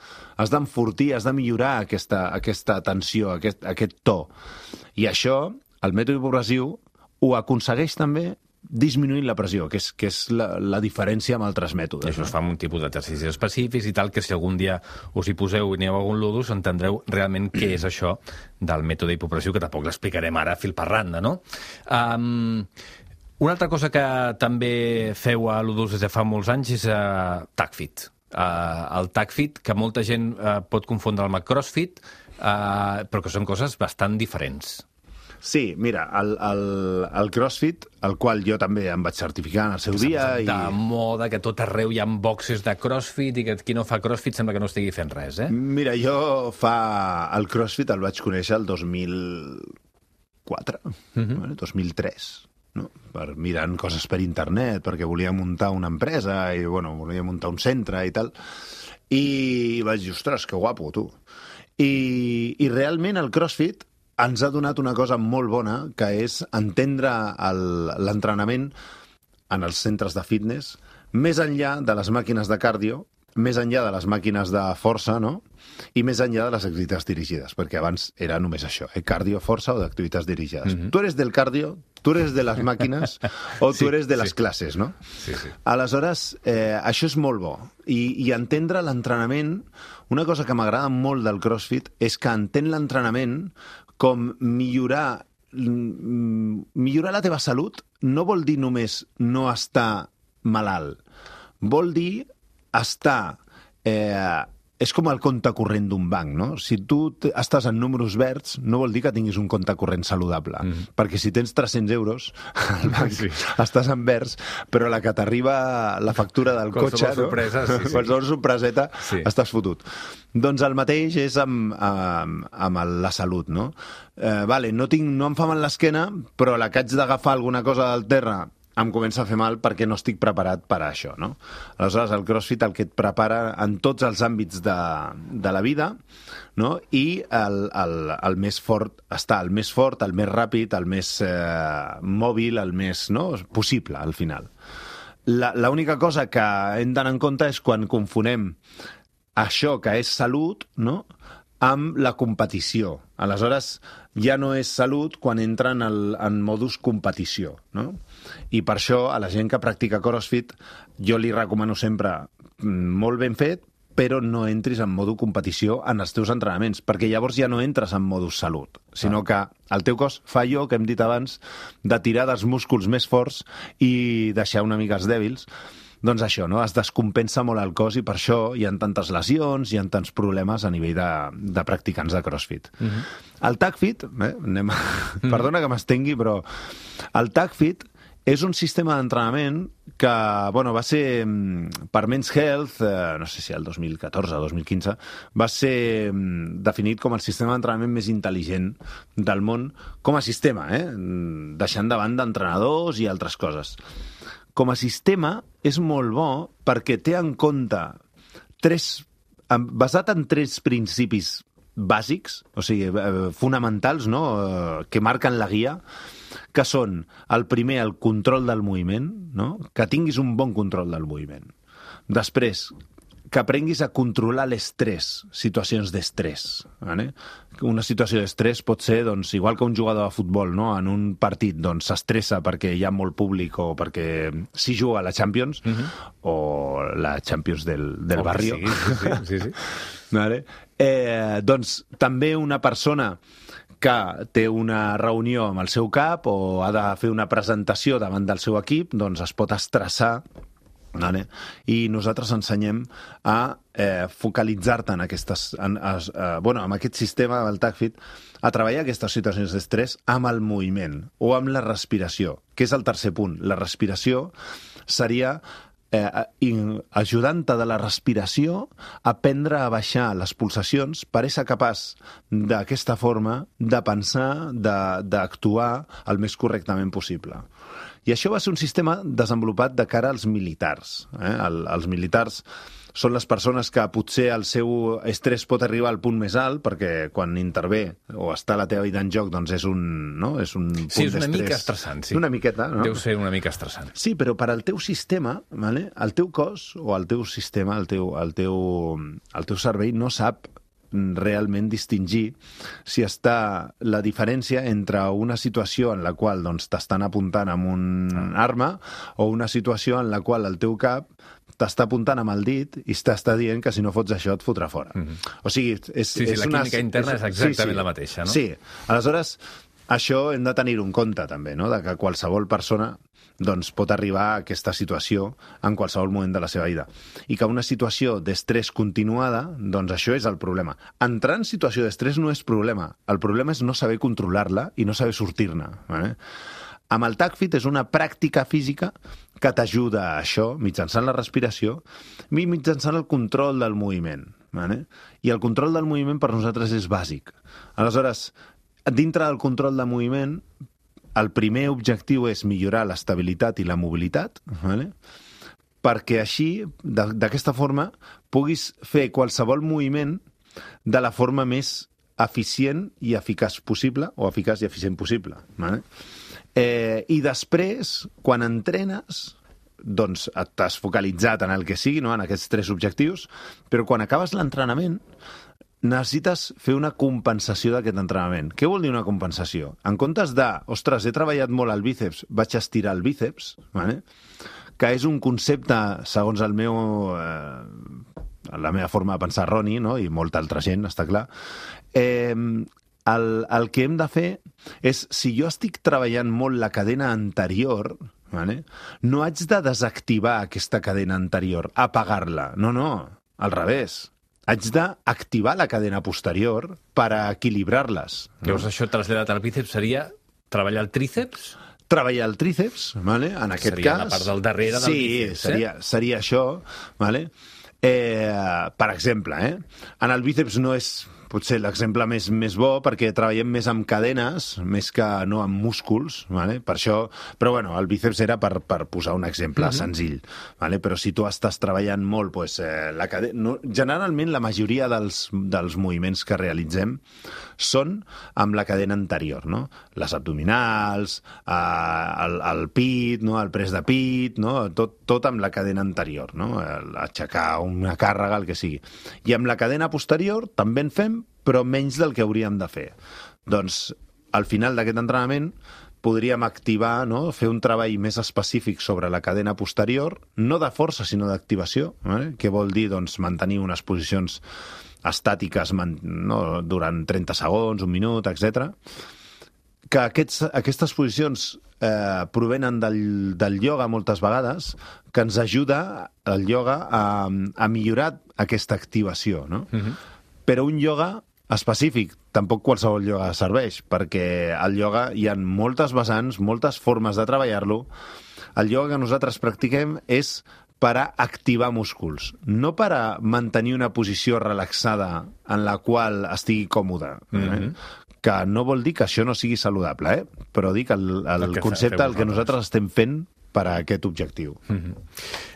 has d'enfortir, has de millorar aquesta, aquesta tensió, aquest, aquest to. I això, el mètode hipopressiu, ho aconsegueix també disminuint la pressió, que és, que és la, la diferència amb altres mètodes. I això es fa amb un tipus d'exercicis específics i tal, que si algun dia us hi poseu i aneu a algun ludus, entendreu realment què és això del mètode hipopressiu, que tampoc l'explicarem ara fil per randa, no? Um, una altra cosa que també feu a ludus des de fa molts anys és uh, TACFit. Uh, el TACFit, que molta gent uh, pot confondre amb el CrossFit, uh, però que són coses bastant diferents. Sí, mira, el, el, el CrossFit, el qual jo també em vaig certificar en el seu dia... I... de moda, que tot arreu hi ha boxes de CrossFit i que qui no fa CrossFit sembla que no estigui fent res, eh? Mira, jo fa... El CrossFit el vaig conèixer el dos mil quatre, uh-huh. bueno, dos mil tres, no? Per mirant coses per internet, perquè volia muntar una empresa i, bueno, volia muntar un centre i tal. I vaig dir, ostres, que guapo, tu. I, i realment el CrossFit ens ha donat una cosa molt bona, que és entendre l'entrenament en els centres de fitness, més enllà de les màquines de cardio, més enllà de les màquines de força, no? I més enllà de les activitats dirigides, perquè abans era només això, eh? Cardio, força o d'activitats dirigides. Mm-hmm. Tu eres del cardio, tu eres de les màquines o tu sí, eres de les sí. classes, no? Sí, sí. Aleshores, eh, això és molt bo. I, i entendre l'entrenament, una cosa que m'agrada molt del CrossFit és que entén l'entrenament com millorar, millorar la teva salut no vol dir només no estar malalt. Vol dir estar... Eh, és com el compte corrent d'un banc, no? Si tu estàs en números verds, no vol dir que tinguis un compte corrent saludable. Mm. Perquè si tens tres-cents euros al banc, sí. estàs en verds, però la que t'arriba la factura del qualsevol cotxe, sorpresa, no? sí, sí. qualsevol sorpreseta, sí. estàs fotut. Doncs el mateix és amb, amb, amb la salut, no? Eh, vale, no, tinc, no em fa mal l'esquena, però la que haig d'agafar alguna cosa del terra em comença a fer mal perquè no estic preparat per a això, no? Aleshores, el CrossFit el que et prepara en tots els àmbits de, de la vida, no? I el, el, el més fort està, el més fort, el més ràpid, el més eh, mòbil, el més no? possible, al final. L'única cosa que hem d'anar en compte és quan confonem això que és salut, no?, amb la competició. Aleshores, ja no és salut quan entra en, el, en modus competició, no? I per això, a la gent que practica CrossFit, jo li recomano sempre molt ben fet, però no entris en modo competició en els teus entrenaments, perquè llavors ja no entres en modus salut, sinó que el teu cos fa allò que hem dit abans, de tirar dels músculs més forts i deixar una mica els dèbils. Doncs això, no? Es descompensa molt el cos i per això hi ha tantes lesions, hi ha tants problemes a nivell de, de practicants de CrossFit. Uh-huh. El TACFit, eh, anem a... uh-huh. perdona que m'estengui, però el TACFit és un sistema d'entrenament que bueno, va ser per Men's Health, eh, no sé si el dos mil catorze o dos mil quinze, va ser definit com el sistema d'entrenament més intel·ligent del món com a sistema, eh? Deixant de banda entrenadors i altres coses. Com a sistema és molt bo perquè té en compte tres, basat en tres principis bàsics, o sigui, fonamentals, no?, que marquen la guia, que són, el primer, el control del moviment, no?, que tinguis un bon control del moviment. Després, que aprenguis a controlar l'estrès, situacions d'estrès. Vale? Una situació d'estrès pot ser, doncs, igual que un jugador de futbol, no? En un partit doncs, s'estressa perquè hi ha molt públic o perquè s'hi juga a la Champions, uh-huh. o la Champions del, del oh, barrio. Sí, sí, sí. sí. Vale? Eh, doncs també una persona que té una reunió amb el seu cap o ha de fer una presentació davant del seu equip, doncs es pot estressar Vale? I nosaltres ensenyem a eh, focalitzar-te en aquestes, en, a, a, bueno, amb aquest sistema del TACFIT, a treballar aquestes situacions d'estrès amb el moviment o amb la respiració, que és el tercer punt. La respiració seria eh, ajudant-te de la respiració a aprendre a baixar les pulsacions per ser capaç d'aquesta forma de pensar, d'actuar el més correctament possible. I això va ser un sistema desenvolupat de cara als militars. Eh? El, els militars són les persones que potser el seu estrès pot arribar al punt més alt, perquè quan intervé o està la teva vida en joc, doncs és un, no? és un punt sí, és una d'estrès. mica estressant, sí. Una miqueta, no? Deu ser una mica estressant. Sí, però per al teu sistema, vale? El teu cos o el teu sistema, el teu, el teu, el teu cervell no sap realment distingir si està la diferència entre una situació en la qual doncs, t'estan apuntant amb un ah. arma o una situació en la qual el teu cap t'està apuntant amb el dit i t'està dient que si no fots això et fotrà fora. Mm-hmm. O sigui, és, sí, sí, és la una, química interna és, és exactament sí, sí, la mateixa, no? Sí, aleshores això hem de tenir-ho en compte també, no? De que qualsevol persona doncs, pot arribar a aquesta situació en qualsevol moment de la seva vida. I que una situació d'estrès continuada, doncs això és el problema. Entrar en situació d'estrès no és problema. El problema és no saber controlar-la i no saber sortir-ne. Eh? Amb el TACFIT és una pràctica física que t'ajuda a això, mitjançant la respiració i mitjançant el control del moviment. Eh? I el control del moviment per nosaltres és bàsic. Aleshores, dintre del control de moviment, el primer objectiu és millorar l'estabilitat i la mobilitat, vale? Perquè així, d'aquesta forma, puguis fer qualsevol moviment de la forma més eficient i eficaç possible, o eficaç i eficient possible. Vale? Eh, I després, quan entrenes, doncs t'has focalitzat en el que sigui, no? En aquests tres objectius, però quan acabes l'entrenament, necessites fer una compensació d'aquest entrenament. Què vol dir una compensació? En comptes de, ostres, he treballat molt el bíceps, vaig estirar el bíceps, vale? Que és un concepte, segons el meu, eh, la meva forma de pensar erroni, no? I molta altra gent, està clar, eh, el, el que hem de fer és, si jo estic treballant molt la cadena anterior, vale? No haig de desactivar aquesta cadena anterior, apagar-la. No, no, al revés. Haig d'activar la cadena posterior per a equilibrar-les. Llavors, això traslladat al bíceps seria treballar el tríceps? Treballar el tríceps, vale? En aquest seria cas... la part del darrere del sí, bíceps, seria, eh? seria això, vale? Eh, per exemple, eh? En el bíceps no és potser l'exemple més, més bo, perquè treballem més amb cadenes, més que no amb músculs, vale? Per això, però bueno, el bíceps era per, per posar un exemple mm-hmm. senzill, vale? Però si tu estàs treballant molt, pues, eh, la cadena... no, generalment la majoria dels, dels moviments que realitzem són amb la cadena anterior, no? Les abdominals, eh, el, el pit, no? El pres de pit, no? Tot, tot amb la cadena anterior, no? Aixecar una càrrega, el que sigui. I amb la cadena posterior també en fem, però menys del que hauríem de fer. Doncs, al final d'aquest entrenament, podríem activar, no? Fer un treball més específic sobre la cadena posterior, no de força, sinó d'activació, eh? Que vol dir doncs, mantenir unes posicions estàtiques no? Durant trenta segons, un minut, etcètera. Que aquests, aquestes posicions eh, provenen del, del ioga moltes vegades, que ens ajuda el ioga a, a millorar aquesta activació, no? Mm-hmm. Però un ioga específic, tampoc qualsevol ioga serveix, perquè al ioga hi ha moltes vessants, moltes formes de treballar-lo. El ioga que nosaltres practiquem és per a activar músculs, no per a mantenir una posició relaxada en la qual estigui còmode. Mm-hmm. Eh? Que no vol dir que això no sigui saludable, eh? Però dic el, el, el concepte, el que nosaltres estem fent per a aquest objectiu. Mm-hmm.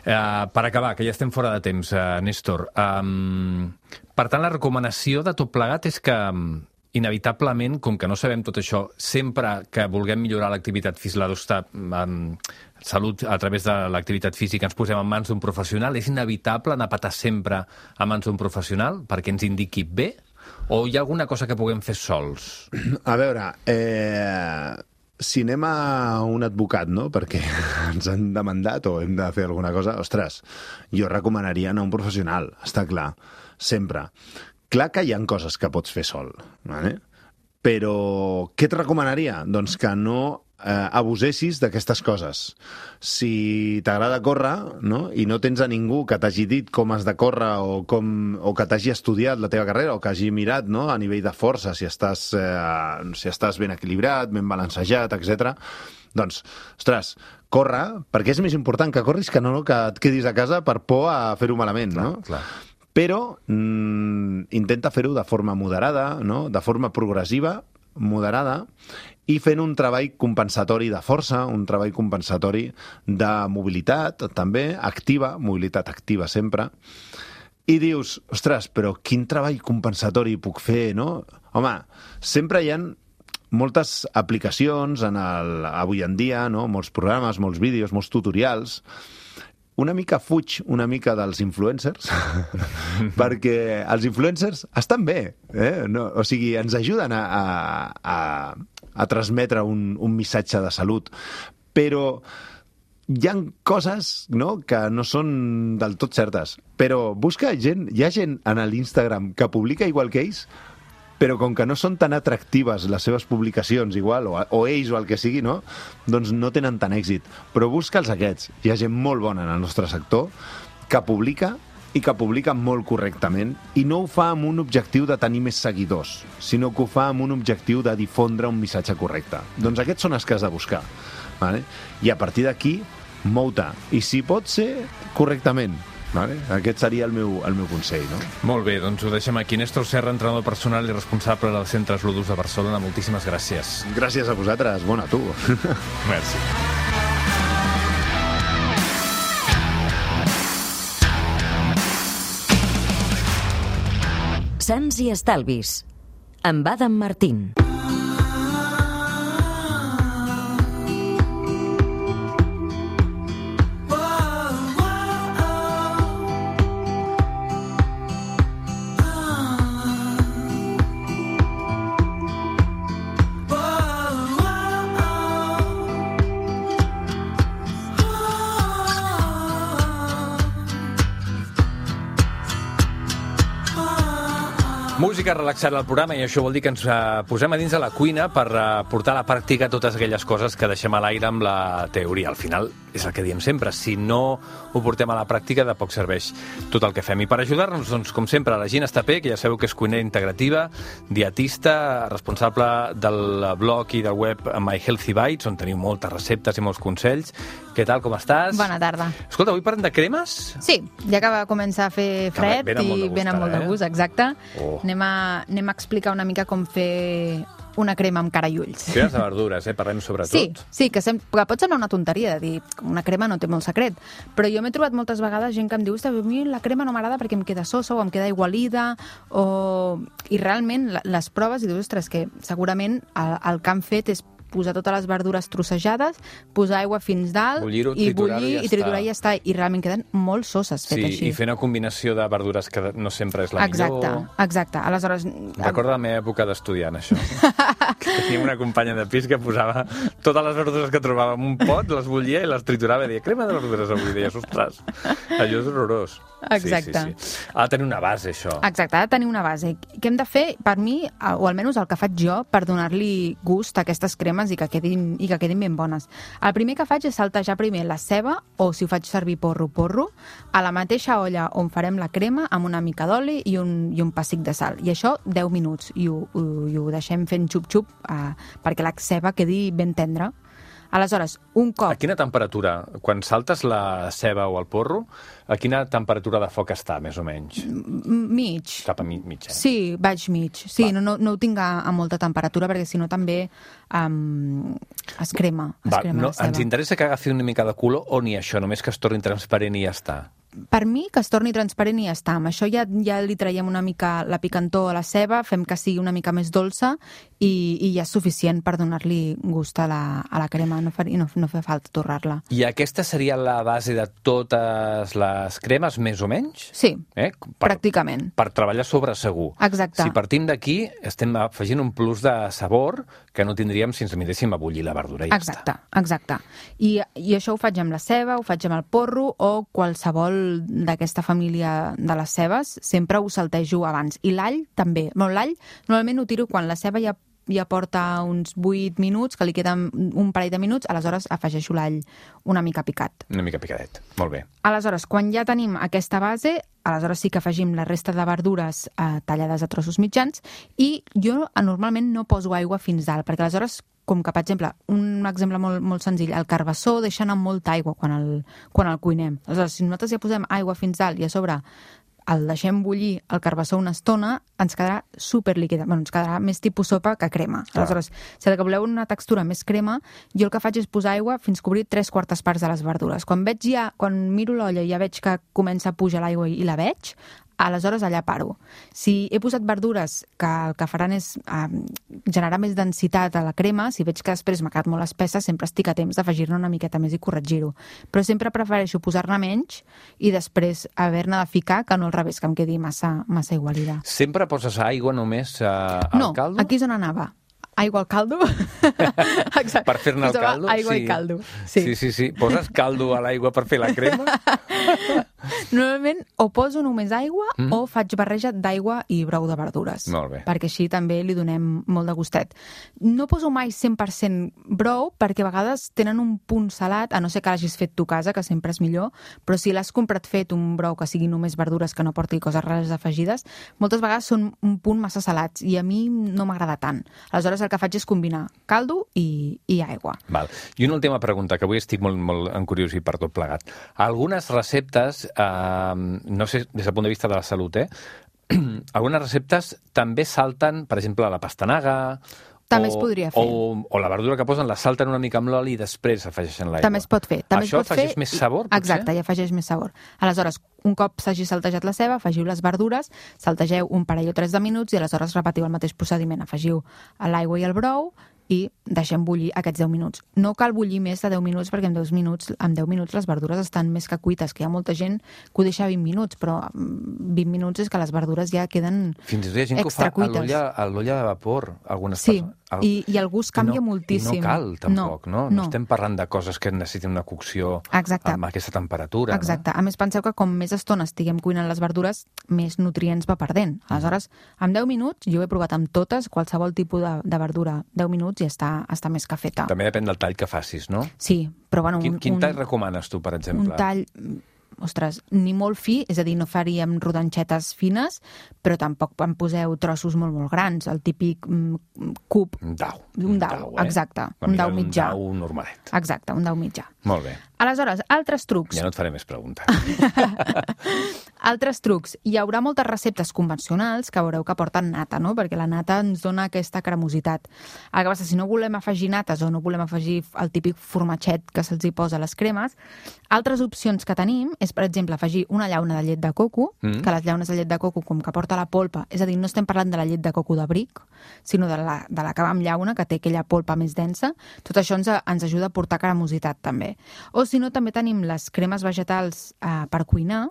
uh, per acabar, que ja estem fora de temps, uh, Néstor, um, per tant, la recomanació de tot plegat és que, um, inevitablement, com que no sabem tot això, sempre que vulguem millorar l'activitat física, la um, salut a través de l'activitat física, ens posem en mans d'un professional, és inevitable anar a patar sempre a mans d'un professional perquè ens indiqui bé? O hi ha alguna cosa que puguem fer sols? A veure, eh, si anem a un advocat, no?, perquè ens han demandat o hem de fer alguna cosa, ostres, jo recomanaria anar a un professional, està clar, sempre. Clar que hi ha coses que pots fer sol, ¿vale? Però què et recomanaria? Doncs que no eh, abusessis d'aquestes coses. Si t'agrada córrer, no? I no tens a ningú que t'hagi dit com has de córrer o, com, o que t'hagi estudiat la teva carrera o que hagi mirat, no? A nivell de força, si estàs, eh, si estàs ben equilibrat, ben balancejat, etcètera. Doncs, ostres, corre, perquè és més important que corris que no que et quedis a casa per por a fer-ho malament, no? Clar, clar. Però mm, intenta fer-ho de forma moderada, no? De forma progressiva, moderada, i fent un treball compensatori de força, un treball compensatori de mobilitat, també, activa, mobilitat activa sempre, i dius, ostres, però quin treball compensatori puc fer, no? Home, sempre hi ha moltes aplicacions en el, avui en dia, no? Molts programes, molts vídeos, molts tutorials. Una mica fuig una mica dels influencers, perquè els influencers estan bé, eh? No, o sigui, ens ajuden a, a, a, a transmetre un, un missatge de salut, però hi ha coses, no?, que no són del tot certes. Però busca gent, hi ha gent en l'Instagram que publica igual que ells, però com que no són tan atractives les seves publicacions igual, o, o ells o el que sigui, no? Doncs no tenen tant èxit. Però busca'ls aquests. Hi ha gent molt bona en el nostre sector que publica i que publica molt correctament i no ho fa amb un objectiu de tenir més seguidors, sinó que ho fa amb un objectiu de difondre un missatge correcte. Doncs aquests són els que has de buscar. Vale? I a partir d'aquí, mou-te. I si pot ser, correctament. Vale? Aquest seria el meu, el meu consell, no? Molt bé, doncs ho deixem aquí. Néstor Serra, entrenador personal i responsable del Centre Ludus de Barcelona. Moltíssimes gràcies. Gràcies a vosaltres. Bona, tu. Merci. Sants i estalvis. Amb Adam Martín. Música relaxada al programa, i això vol dir que ens uh, posem a dins de la cuina per uh, portar a la pràctica totes aquelles coses que deixem a l'aire amb la teoria. Al final és el que diem sempre, si no ho portem a la pràctica de poc serveix tot el que fem. I per ajudar-nos, doncs, com sempre, la Gina Estapé, que ja sabeu que és cuinera integrativa, dietista, responsable del blog i del web My Healthy Bites, on teniu moltes receptes i molts consells. Què tal, com estàs? Bona tarda. Escolta, avui parlem de cremes? Sí, ja que va començar a fer fred que i ben amb molt de gust, eh? exacte. Oh. Anem, a, anem a explicar una mica com fer una crema amb cara i ulls. Cremes de verdures, eh? Parlem sobretot. Sí, sí, que, sem que pot semblar una tonteria de dir que una crema no té molt secret, però jo m'he trobat moltes vegades gent que em diu a mi la crema no m'agrada perquè em queda sosa o em queda aigualida, o... i realment les proves i dius, ostres, que segurament el, el que han fet és posar totes les verdures trossejades, posar aigua fins dalt, i bullir i triturar i ja està. I realment queden molt soses fet sí, així. I fer una combinació de verdures que no sempre és la exacte, millor. Exacte, aleshores... Recordo la meva època d'estudiant, això. Teníem una companya de pis que posava totes les verdures que trobava en un pot, les bullia i les triturava i deia, crema de verdures avui, deies, ostres, allò és horrorós. Exacte. Sí, sí, sí. Ha de tenir una base, això. Exacte, ha de tenir una base. Què hem de fer, per mi, o almenys el que faig jo, per donar-li gust a aquestes cremes i que quedin, i que quedin ben bones? El primer que faig és saltejar primer la ceba, o si ho faig servir porro, porro, a la mateixa olla on farem la crema, amb una mica d'oli i, un, i un pessic de sal. I això deu minuts, i ho, ho, i ho deixem fent xup-xup eh, perquè la ceba quedi ben tendra. Aleshores, un cop... A quina temperatura? Quan saltes la ceba o el porro, a quina temperatura de foc està, més o menys? Mig. Cap a mig, mig eh? Sí, vaig mig. Sí, no, no, no ho tinc a, a molta temperatura, perquè si no també um, es crema, es Va, crema no, la ceba. ens interessa que agafi una mica de color o ni això, només que es torni transparent i ja està? Per mi, que es torni transparent i ja està. Amb això ja, ja li traiem una mica la picantor a la ceba, fem que sigui una mica més dolça i, i ja és suficient per donar-li gust a la, a la crema, no fa, no, no fa falta torrar-la. I aquesta seria la base de totes les cremes, més o menys? Sí, eh? per, pràcticament. Per treballar sobre segur. Exacte. Si partim d'aquí, estem afegint un plus de sabor que no tindríem si ens miréssim a bullir la verdura i ja exacte, està. Exacte. I, I això ho faig amb la ceba, ho faig amb el porro o qualsevol d'aquesta família de les cebes, sempre ho saltejo abans. I l'all també. Bueno, l'all normalment ho tiro quan la ceba ja ja porta uns vuit minuts, que li queden un parell de minuts, aleshores afegeixo l'all una mica picat. Una mica picadet, molt bé. Aleshores, quan ja tenim aquesta base, aleshores sí que afegim la resta de verdures eh, tallades a trossos mitjans i jo normalment no poso aigua fins dalt, perquè aleshores, com que, per exemple, un exemple molt, molt senzill, el carbassó deixa anar molta aigua quan el, quan el cuinem. Aleshores, si nosaltres ja posem aigua fins dalt i a sobre el deixem bullir el carbassó una estona, ens quedarà superlíquida. Bueno, ens quedarà més tipus sopa que crema. Clar. Aleshores, si el que voleu una textura més crema, jo el que faig és posar aigua fins cobrir tres quartes parts de les verdures. Quan veig ja, quan miro l'olla i ja veig que comença a pujar l'aigua i la veig, aleshores allà paro. Si he posat verdures que el que faran és eh, generar més densitat a la crema, si veig que després m'ha quedat molt espessa, sempre estic a temps d'afegir-ne una miqueta més i corregir-ho. Però sempre prefereixo posar-ne menys i després haver-ne de ficar que no al revés, que em quedi massa, massa igualida. Sempre poses aigua només eh, al no, caldo? No, aquí és on anava. Aigua al caldo. Exacte. Per fer-ne el caldo? Aigua sí. i caldo. Sí. sí, sí, sí. Poses caldo a l'aigua per fer la crema? Normalment o poso només aigua mm. o faig barreja d'aigua i brou de verdures. Molt bé. Perquè així també li donem molt de gustet. No poso mai cent per cent brou perquè a vegades tenen un punt salat, a no ser que l'hagis fet tu a casa, que sempre és millor, però si l'has comprat fet un brou que sigui només verdures, que no porti coses rares afegides, moltes vegades són un punt massa salats i a mi no m'agrada tant. Aleshores el que faig és combinar caldo i, i aigua. Val. I una última pregunta, que avui estic molt, molt encuriosit per tot plegat. Algunes receptes, eh, no sé, des del punt de vista de la salut, eh? Algunes receptes també salten, per exemple, la pastanaga... També o, es podria fer. O, o la verdura que posen la salten una mica amb l'oli i després afegeixen l'aigua. També es pot fer. També Això es pot afegeix fer... més sabor, potser? Exacte, i afegeix més sabor. Aleshores, un cop s'hagi saltejat la ceba, afegiu les verdures, saltegeu un parell o tres de minuts i aleshores repetiu el mateix procediment. Afegiu l'aigua i el brou i deixem bullir aquests deu minuts. No cal bullir més de deu minuts perquè en deu minuts, en deu minuts les verdures estan més que cuites, que hi ha molta gent que ho deixa vint minuts, però vint minuts és que les verdures ja queden Fins i tot hi ha gent que ho fa a l'olla de vapor, algunes sí, persones. El... I, i el gust canvia no, moltíssim. I no cal, tampoc, no? No, no estem parlant de coses que necessiten una cocció Exacte. Amb aquesta temperatura. Exacte. No? A més, penseu que com més estona estiguem cuinant les verdures, més nutrients va perdent. Aleshores, en deu minuts, jo he provat amb totes, qualsevol tipus de, de verdura, deu minuts i està, està més que feta. També depèn del tall que facis, no? Sí, però bueno... Quin, un, quin tall un, recomanes tu, per exemple? Un tall... Ostres, ni molt fi, és a dir, no faríem rodanxetes fines, però tampoc en poseu trossos molt, molt grans, el típic mm, cub. Un dau. Un dau, eh? exacte. Un dau mitjà. Un dau normalet. Exacte, un dau mitjà. Molt bé. Aleshores, altres trucs. Ja no et faré més preguntes. Altres trucs. Hi haurà moltes receptes convencionals que veureu que porten nata, no? Perquè la nata ens dona aquesta cremositat. El que passa, si no volem afegir nates o no volem afegir el típic formatget que se'ls hi posa a les cremes, altres opcions que tenim és, per exemple, afegir una llauna de llet de coco, mm. que les llaunes de llet de coco, com que porta la polpa, és a dir, no estem parlant de la llet de coco de bric, sinó de la, de la que va amb llauna, que té aquella polpa més densa. Tot això ens, ens ajuda a portar cremositat, també. O si no, també tenim les cremes vegetals eh, per cuinar,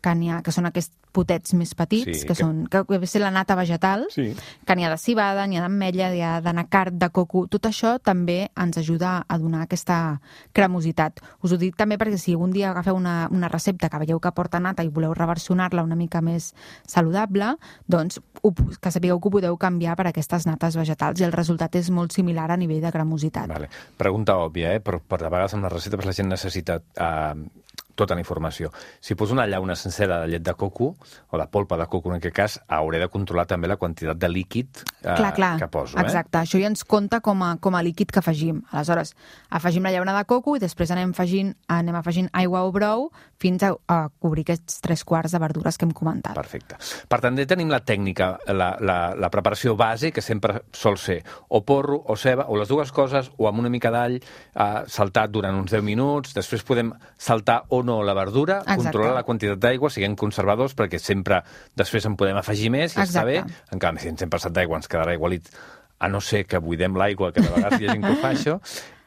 que, ha, que són aquests potets més petits, sí, que, que són que ve ser la nata vegetal, sí. Que n'hi ha de civada, n'hi ha d'ametlla, n'hi ha d'anacard, de coco. Tot això també ens ajuda a donar aquesta cremositat. Us ho dic també perquè si un dia agafeu una, una recepta que veieu que porta nata i voleu reversionar-la una mica més saludable, doncs ho, que sapigueu que ho podeu canviar per aquestes nates vegetals i el resultat és molt similar a nivell de cremositat. Vale. Pregunta òbvia, eh? però per a vegades amb les receptes la gent necessita eh, tota la informació. Si poso una llauna sencera de llet de coco, o de polpa de coco en aquest cas, hauré de controlar també la quantitat de líquid eh, clar, clar. que poso. Exacte, eh? Això ja ens compta com a, com a líquid que afegim. Aleshores, afegim la llauna de coco i després anem afegint, anem afegint aigua o brou fins a, a cobrir aquests tres quarts de verdures que hem comentat. Perfecte. Per tant, tenim la tècnica, la, la, la preparació base, que sempre sol ser o porro o ceba, o les dues coses, o amb una mica d'all eh, saltat durant uns deu minuts. Després podem saltar o no la verdura, exacte. Controlar la quantitat d'aigua, siguem conservadors, perquè sempre després en podem afegir més i exacte. Està bé. En canvi, si en cent per cent d'aigua ens quedarà igualit, a no ser que buidem l'aigua, que de vegades hi ha gent que ho fa això.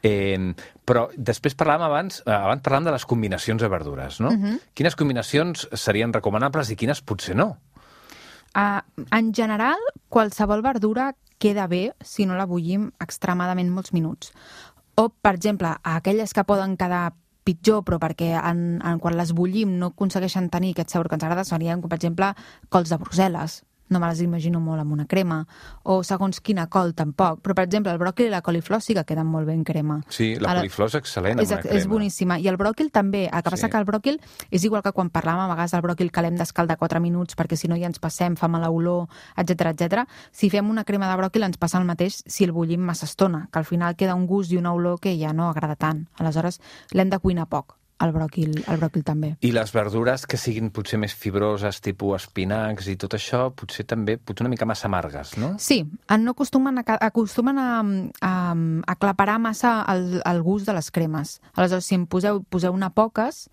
Eh, però després parlàvem abans, abans parlàvem de les combinacions de verdures, no? Uh-huh. Quines combinacions serien recomanables i quines potser no? Uh, en general, qualsevol verdura queda bé si no la bullim extremadament molts minuts. O, per exemple, aquelles que poden quedar pitjor, però perquè en, en, quan les bullim no aconsegueixen tenir aquest sabor que ens agrada, serien, com per exemple, cols de Brussel·les. no me les imagino molt amb una crema, o segons quina col tampoc, però per exemple el bròquil i la coliflor sí que queden molt bé en crema. Sí, la coliflor és excel·lent amb una crema. És boníssima, i el bròquil també, el que passa que el bròquil és igual que quan parlàvem a vegades del bròquil que l'hem d'escaldar quatre minuts perquè si no ja ens passem, fa mala olor, etcètera etcètera. Si fem una crema de bròquil ens passa el mateix si el bullim massa estona, que al final queda un gust i una olor que ja no agrada tant. Aleshores l'hem de cuinar poc. El bròquil, el bròquil també. I les verdures que siguin potser més fibroses, tipus espinacs i tot això, potser també potser una mica massa amargues, no? Sí, no acostumen a, acostumen a, a, a aclaparar massa el, el gust de les cremes. Aleshores, si en poseu, poseu una poques,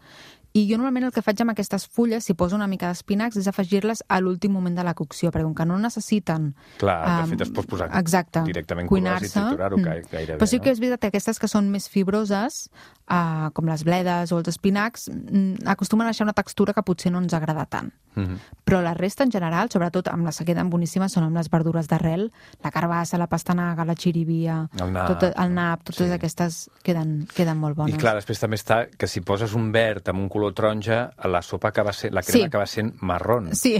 i jo normalment el que faig amb aquestes fulles, si poso una mica d'espinacs, és afegir-les a l'últim moment de la cocció, perquè com que no necessiten... Clar, de fet es pot posar exacte, directament crues i triturar-ho mm. gairebé. Però sí que no? és veritat que aquestes que són més fibroses, uh, com les bledes o els espinacs, mm, acostumen a deixar una textura que potser no ens agrada tant. Mm-hmm. Però la resta, en general, sobretot amb les que queden boníssimes, són amb les verdures d'arrel, la carbassa, la pastanaga, la xirivia, el nap, tot, el nap totes sí. aquestes queden, queden molt bones. I clar, després també està que si poses un verd amb un color taronja, la sopa acaba sent, la crema sí. acaba sent marrón. Sí,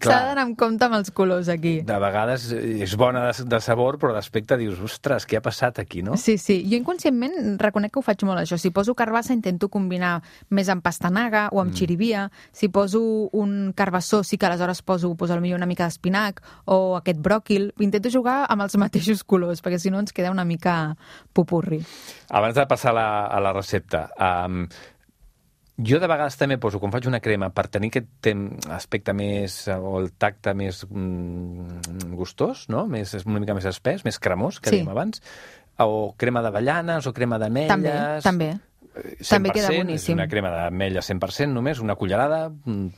s'ha d'anar amb compte amb els colors aquí. De vegades és bona de, de sabor, però d'aspecte dius, ostres, què ha passat aquí, no? Sí, sí. Jo inconscientment reconec que ho faig molt, això. Si poso carbassa intento combinar més amb pastanaga o amb mm. xirivia. Si poso un carbassó sí que aleshores poso, poso potser una mica d'espinac o aquest bròquil. Intento jugar amb els mateixos colors, perquè si no ens queda una mica popurri. Abans de passar a la, a la recepta, um, jo de vegades també poso, quan faig una crema, per tenir aquest aspecte més, o el tacte més mm, gustós, no? Més, una mica més espès, més cremós, que sí. dèiem abans, o crema d'avellanes, o crema d'ametlles... També, també. cent per cent, també queda boníssim. És una crema d'ametlles cent per cent només, una cullerada,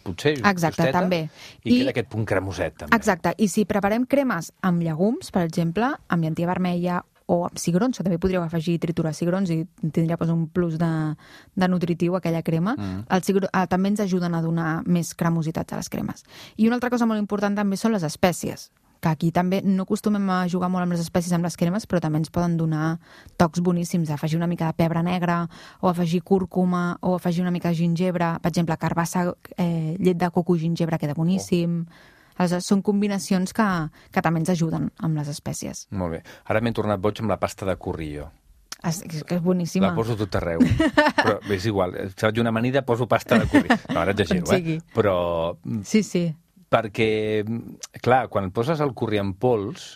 potser, exacte, justeta, també. I, I queda aquest punt cremoset, també. Exacte, i si preparem cremes amb llegums, per exemple, amb llentia vermella o amb cigrons, que també podríeu afegir triturar cigrons i tindria pues, un plus de, de nutritiu aquella crema, mm. el cigro, eh, també ens ajuden a donar més cremositat a les cremes. I una altra cosa molt important també són les espècies, que aquí també no acostumem a jugar molt amb les espècies amb les cremes, però també ens poden donar tocs boníssims, afegir una mica de pebre negre, o afegir cúrcuma, o afegir una mica de gingebre, per exemple, carbassa, eh, llet de coco i gingebre queda boníssim... Oh. Aleshores, són combinacions que, que també ens ajuden amb les espècies. Molt bé. Ara m'he tornat boig amb la pasta de currillo. És, que és boníssima. La poso tot arreu. Però és igual. Si faig una amanida, poso pasta de currillo. No, ara exagero, eh? Però... Sí, sí. Perquè, clar, quan poses el curri en pols,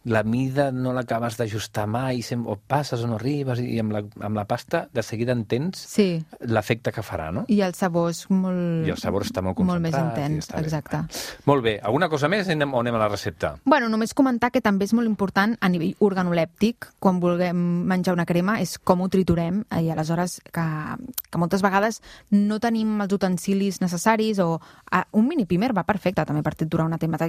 la mida no l'acabes d'ajustar mai, o passes o no arribes, i amb la, amb la pasta de seguida entens sí. l'efecte que farà, no? I el sabor és molt... I el sabor està molt concentrat. Molt més intens, exacte. Bé. Molt bé. Alguna cosa més o anem a la recepta? Bueno, només comentar que també és molt important a nivell organolèptic, quan vulguem menjar una crema, és com ho triturem, i aleshores que, que moltes vegades no tenim els utensilis necessaris, o a, un mini pimer va perfecte també per triturar una, tema,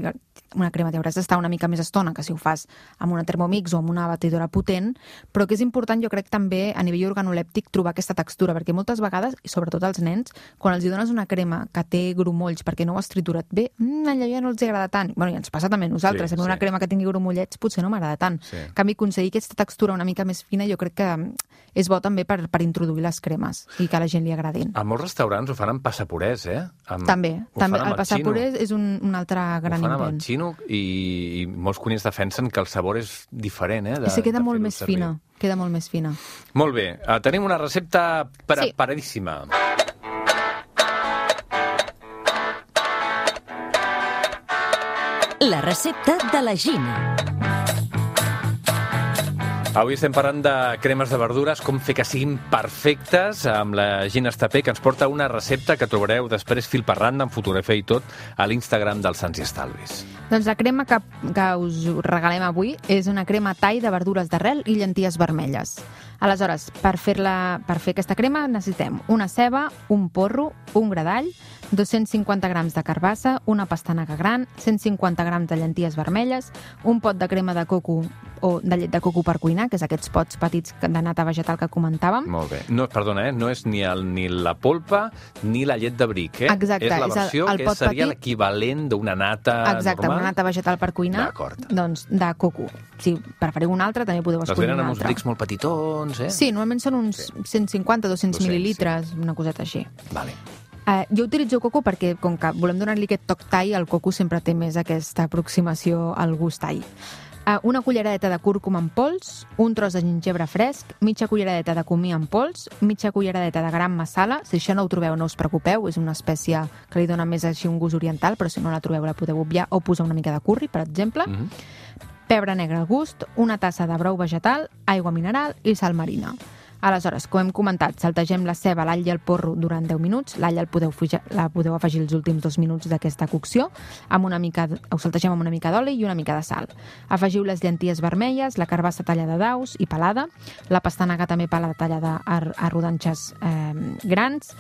una crema. T'hauràs d'estar una mica més estona que si ho fas amb una Thermomix o amb una batidora potent, però que és important, jo crec, també a nivell organolèptic trobar aquesta textura, perquè moltes vegades, i sobretot als nens, quan els dones una crema que té grumolls perquè no ho has triturat bé, mmm, allò ja no els agrada tant. Bueno, i ens passa també a nosaltres, sí, a mi una sí. crema que tingui grumollets potser no m'agrada tant. Sí. En canvi, aconseguir aquesta textura una mica més fina jo crec que és bo també per, per introduir les cremes i que a la gent li agradin. A molts restaurants ho fan amb passapurés, eh? Amb... També, també. El passapurés és un, un altre gran invent. Ho fan amb el xino i, i molts cuiners defensen que el sabor és diferent, eh? De, I se queda molt més servir. fina, queda molt més fina. Molt bé, uh, tenim una recepta preparadíssima. Sí. La recepta de la Gina. Avui estem parlant de cremes de verdures, com fer que siguin perfectes, amb la Gina Estapé, que ens porta una recepta que trobareu després fil per randa, amb fotografia i tot, a l'Instagram dels Sants i Estalvis. Doncs la crema que, que us regalem avui és una crema thai de verdures d'arrel i llenties vermelles. Aleshores, per, fer-la, per fer aquesta crema necessitem una ceba, un porro, un gra d'all, dos-cents cinquanta grams de carbassa, una pastanaga gran, cent cinquanta grams de llenties vermelles, un pot de crema de coco o de llet de coco per cuinar, que és aquests pots petits de nata vegetal que comentàvem. Molt bé. No, perdona, eh? no és ni, el, ni la polpa ni la llet de bric, eh? Exacte. És la versió és el, el que seria petit... l'equivalent d'una nata Exacte, normal. una nata vegetal per cuinar, D'acord. Doncs de coco. Si preferiu una altra, també podeu escollir una altra. Les venen amb uns brics molt petitons, eh? Sí, normalment són uns sí. cent cinquanta a dos-cents mil·lilitres, sí. una coseta així. Vale. Uh, jo utilitzo coco perquè, com que volem donar-li aquest toc thai, el coco sempre té més aquesta aproximació al gust thai. Uh, una culleradeta de cúrcuma en pols, un tros de gingebre fresc, mitja culleradeta de comí en pols, mitja culleradeta de gram masala. Si això no ho trobeu, no us preocupeu, és una espècie que li dona més així un gust oriental, però si no la trobeu la podeu obviar, o posar una mica de curri, per exemple. Mm-hmm. Pebre negre al gust, una tassa de brou vegetal, aigua mineral i sal marina. Aleshores, com hem comentat, saltegem la ceba, l'all i el porro durant deu minuts. L'all el podeu, la podeu afegir els últims dos minuts d'aquesta cocció. Amb una mica, ho saltegem amb una mica d'oli i una mica de sal. Afegiu les llenties vermelles, la carbassa tallada daus i pelada, la pastanaga també pelada tallada a, a rodanxes eh, grans,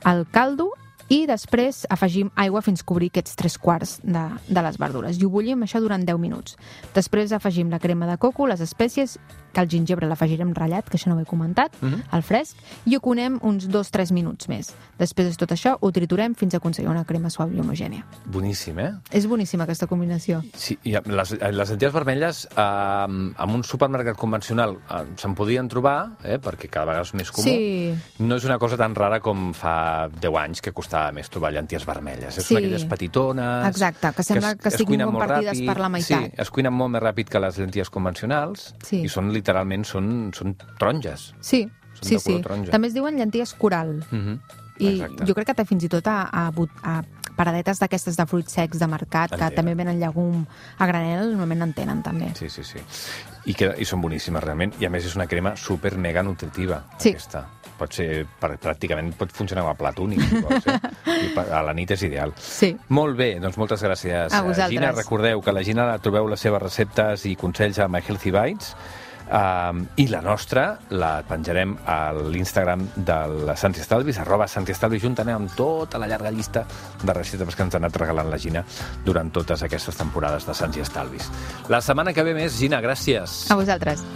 el caldo, i després afegim aigua fins cobrir aquests tres quarts de, de les verdures. I ho bullim això durant deu minuts. Després afegim la crema de coco, les espècies, que el gingebre l'afegirem ratllat, que això no ho he comentat, mm-hmm. al fresc, i ho conem uns dos tres minuts més. Després de tot això, ho triturem fins a aconseguir una crema suau i homogènia. Boníssim, eh? És boníssima aquesta combinació. Sí, i les, les lenties vermelles eh, en un supermercat convencional eh, se'n podien trobar, eh, perquè cada vegada és més comú. Sí. No és una cosa tan rara com fa deu anys que costava més trobar llenties vermelles. Sí. Són aquelles petitones... Exacte, que sembla que, que siguin compartides per la meitat. Sí, es cuinen molt més ràpid que les llenties convencionals, sí. I són literalment són, són taronges. Sí, són sí, sí. taronja. També es diuen llenties coral. Mm-hmm. I exacte. Jo crec que té fins i tot a, a, a paradetes d'aquestes de fruits secs de mercat, que també venen llegum a granel, normalment en tenen també. Sí, sí, sí. I, que, i són boníssimes realment, i a més és una crema super mega nutritiva, sí. Aquesta. Pot ser, pràcticament pot funcionar com a plat únic, si vols, eh? I a la nit és ideal. Sí. Molt bé, doncs moltes gràcies, a vosaltres. Gina. Recordeu que a la Gina la trobeu les seves receptes i consells a My Healthy Bites, um, i la nostra la penjarem a l'Instagram del Santi Estalvis, arroba Santi Estalvis, juntament amb tota la llarga llista de receptes que ens ha anat regalant la Gina durant totes aquestes temporades de Santi Estalvis. La setmana que ve més, Gina, gràcies. A vosaltres.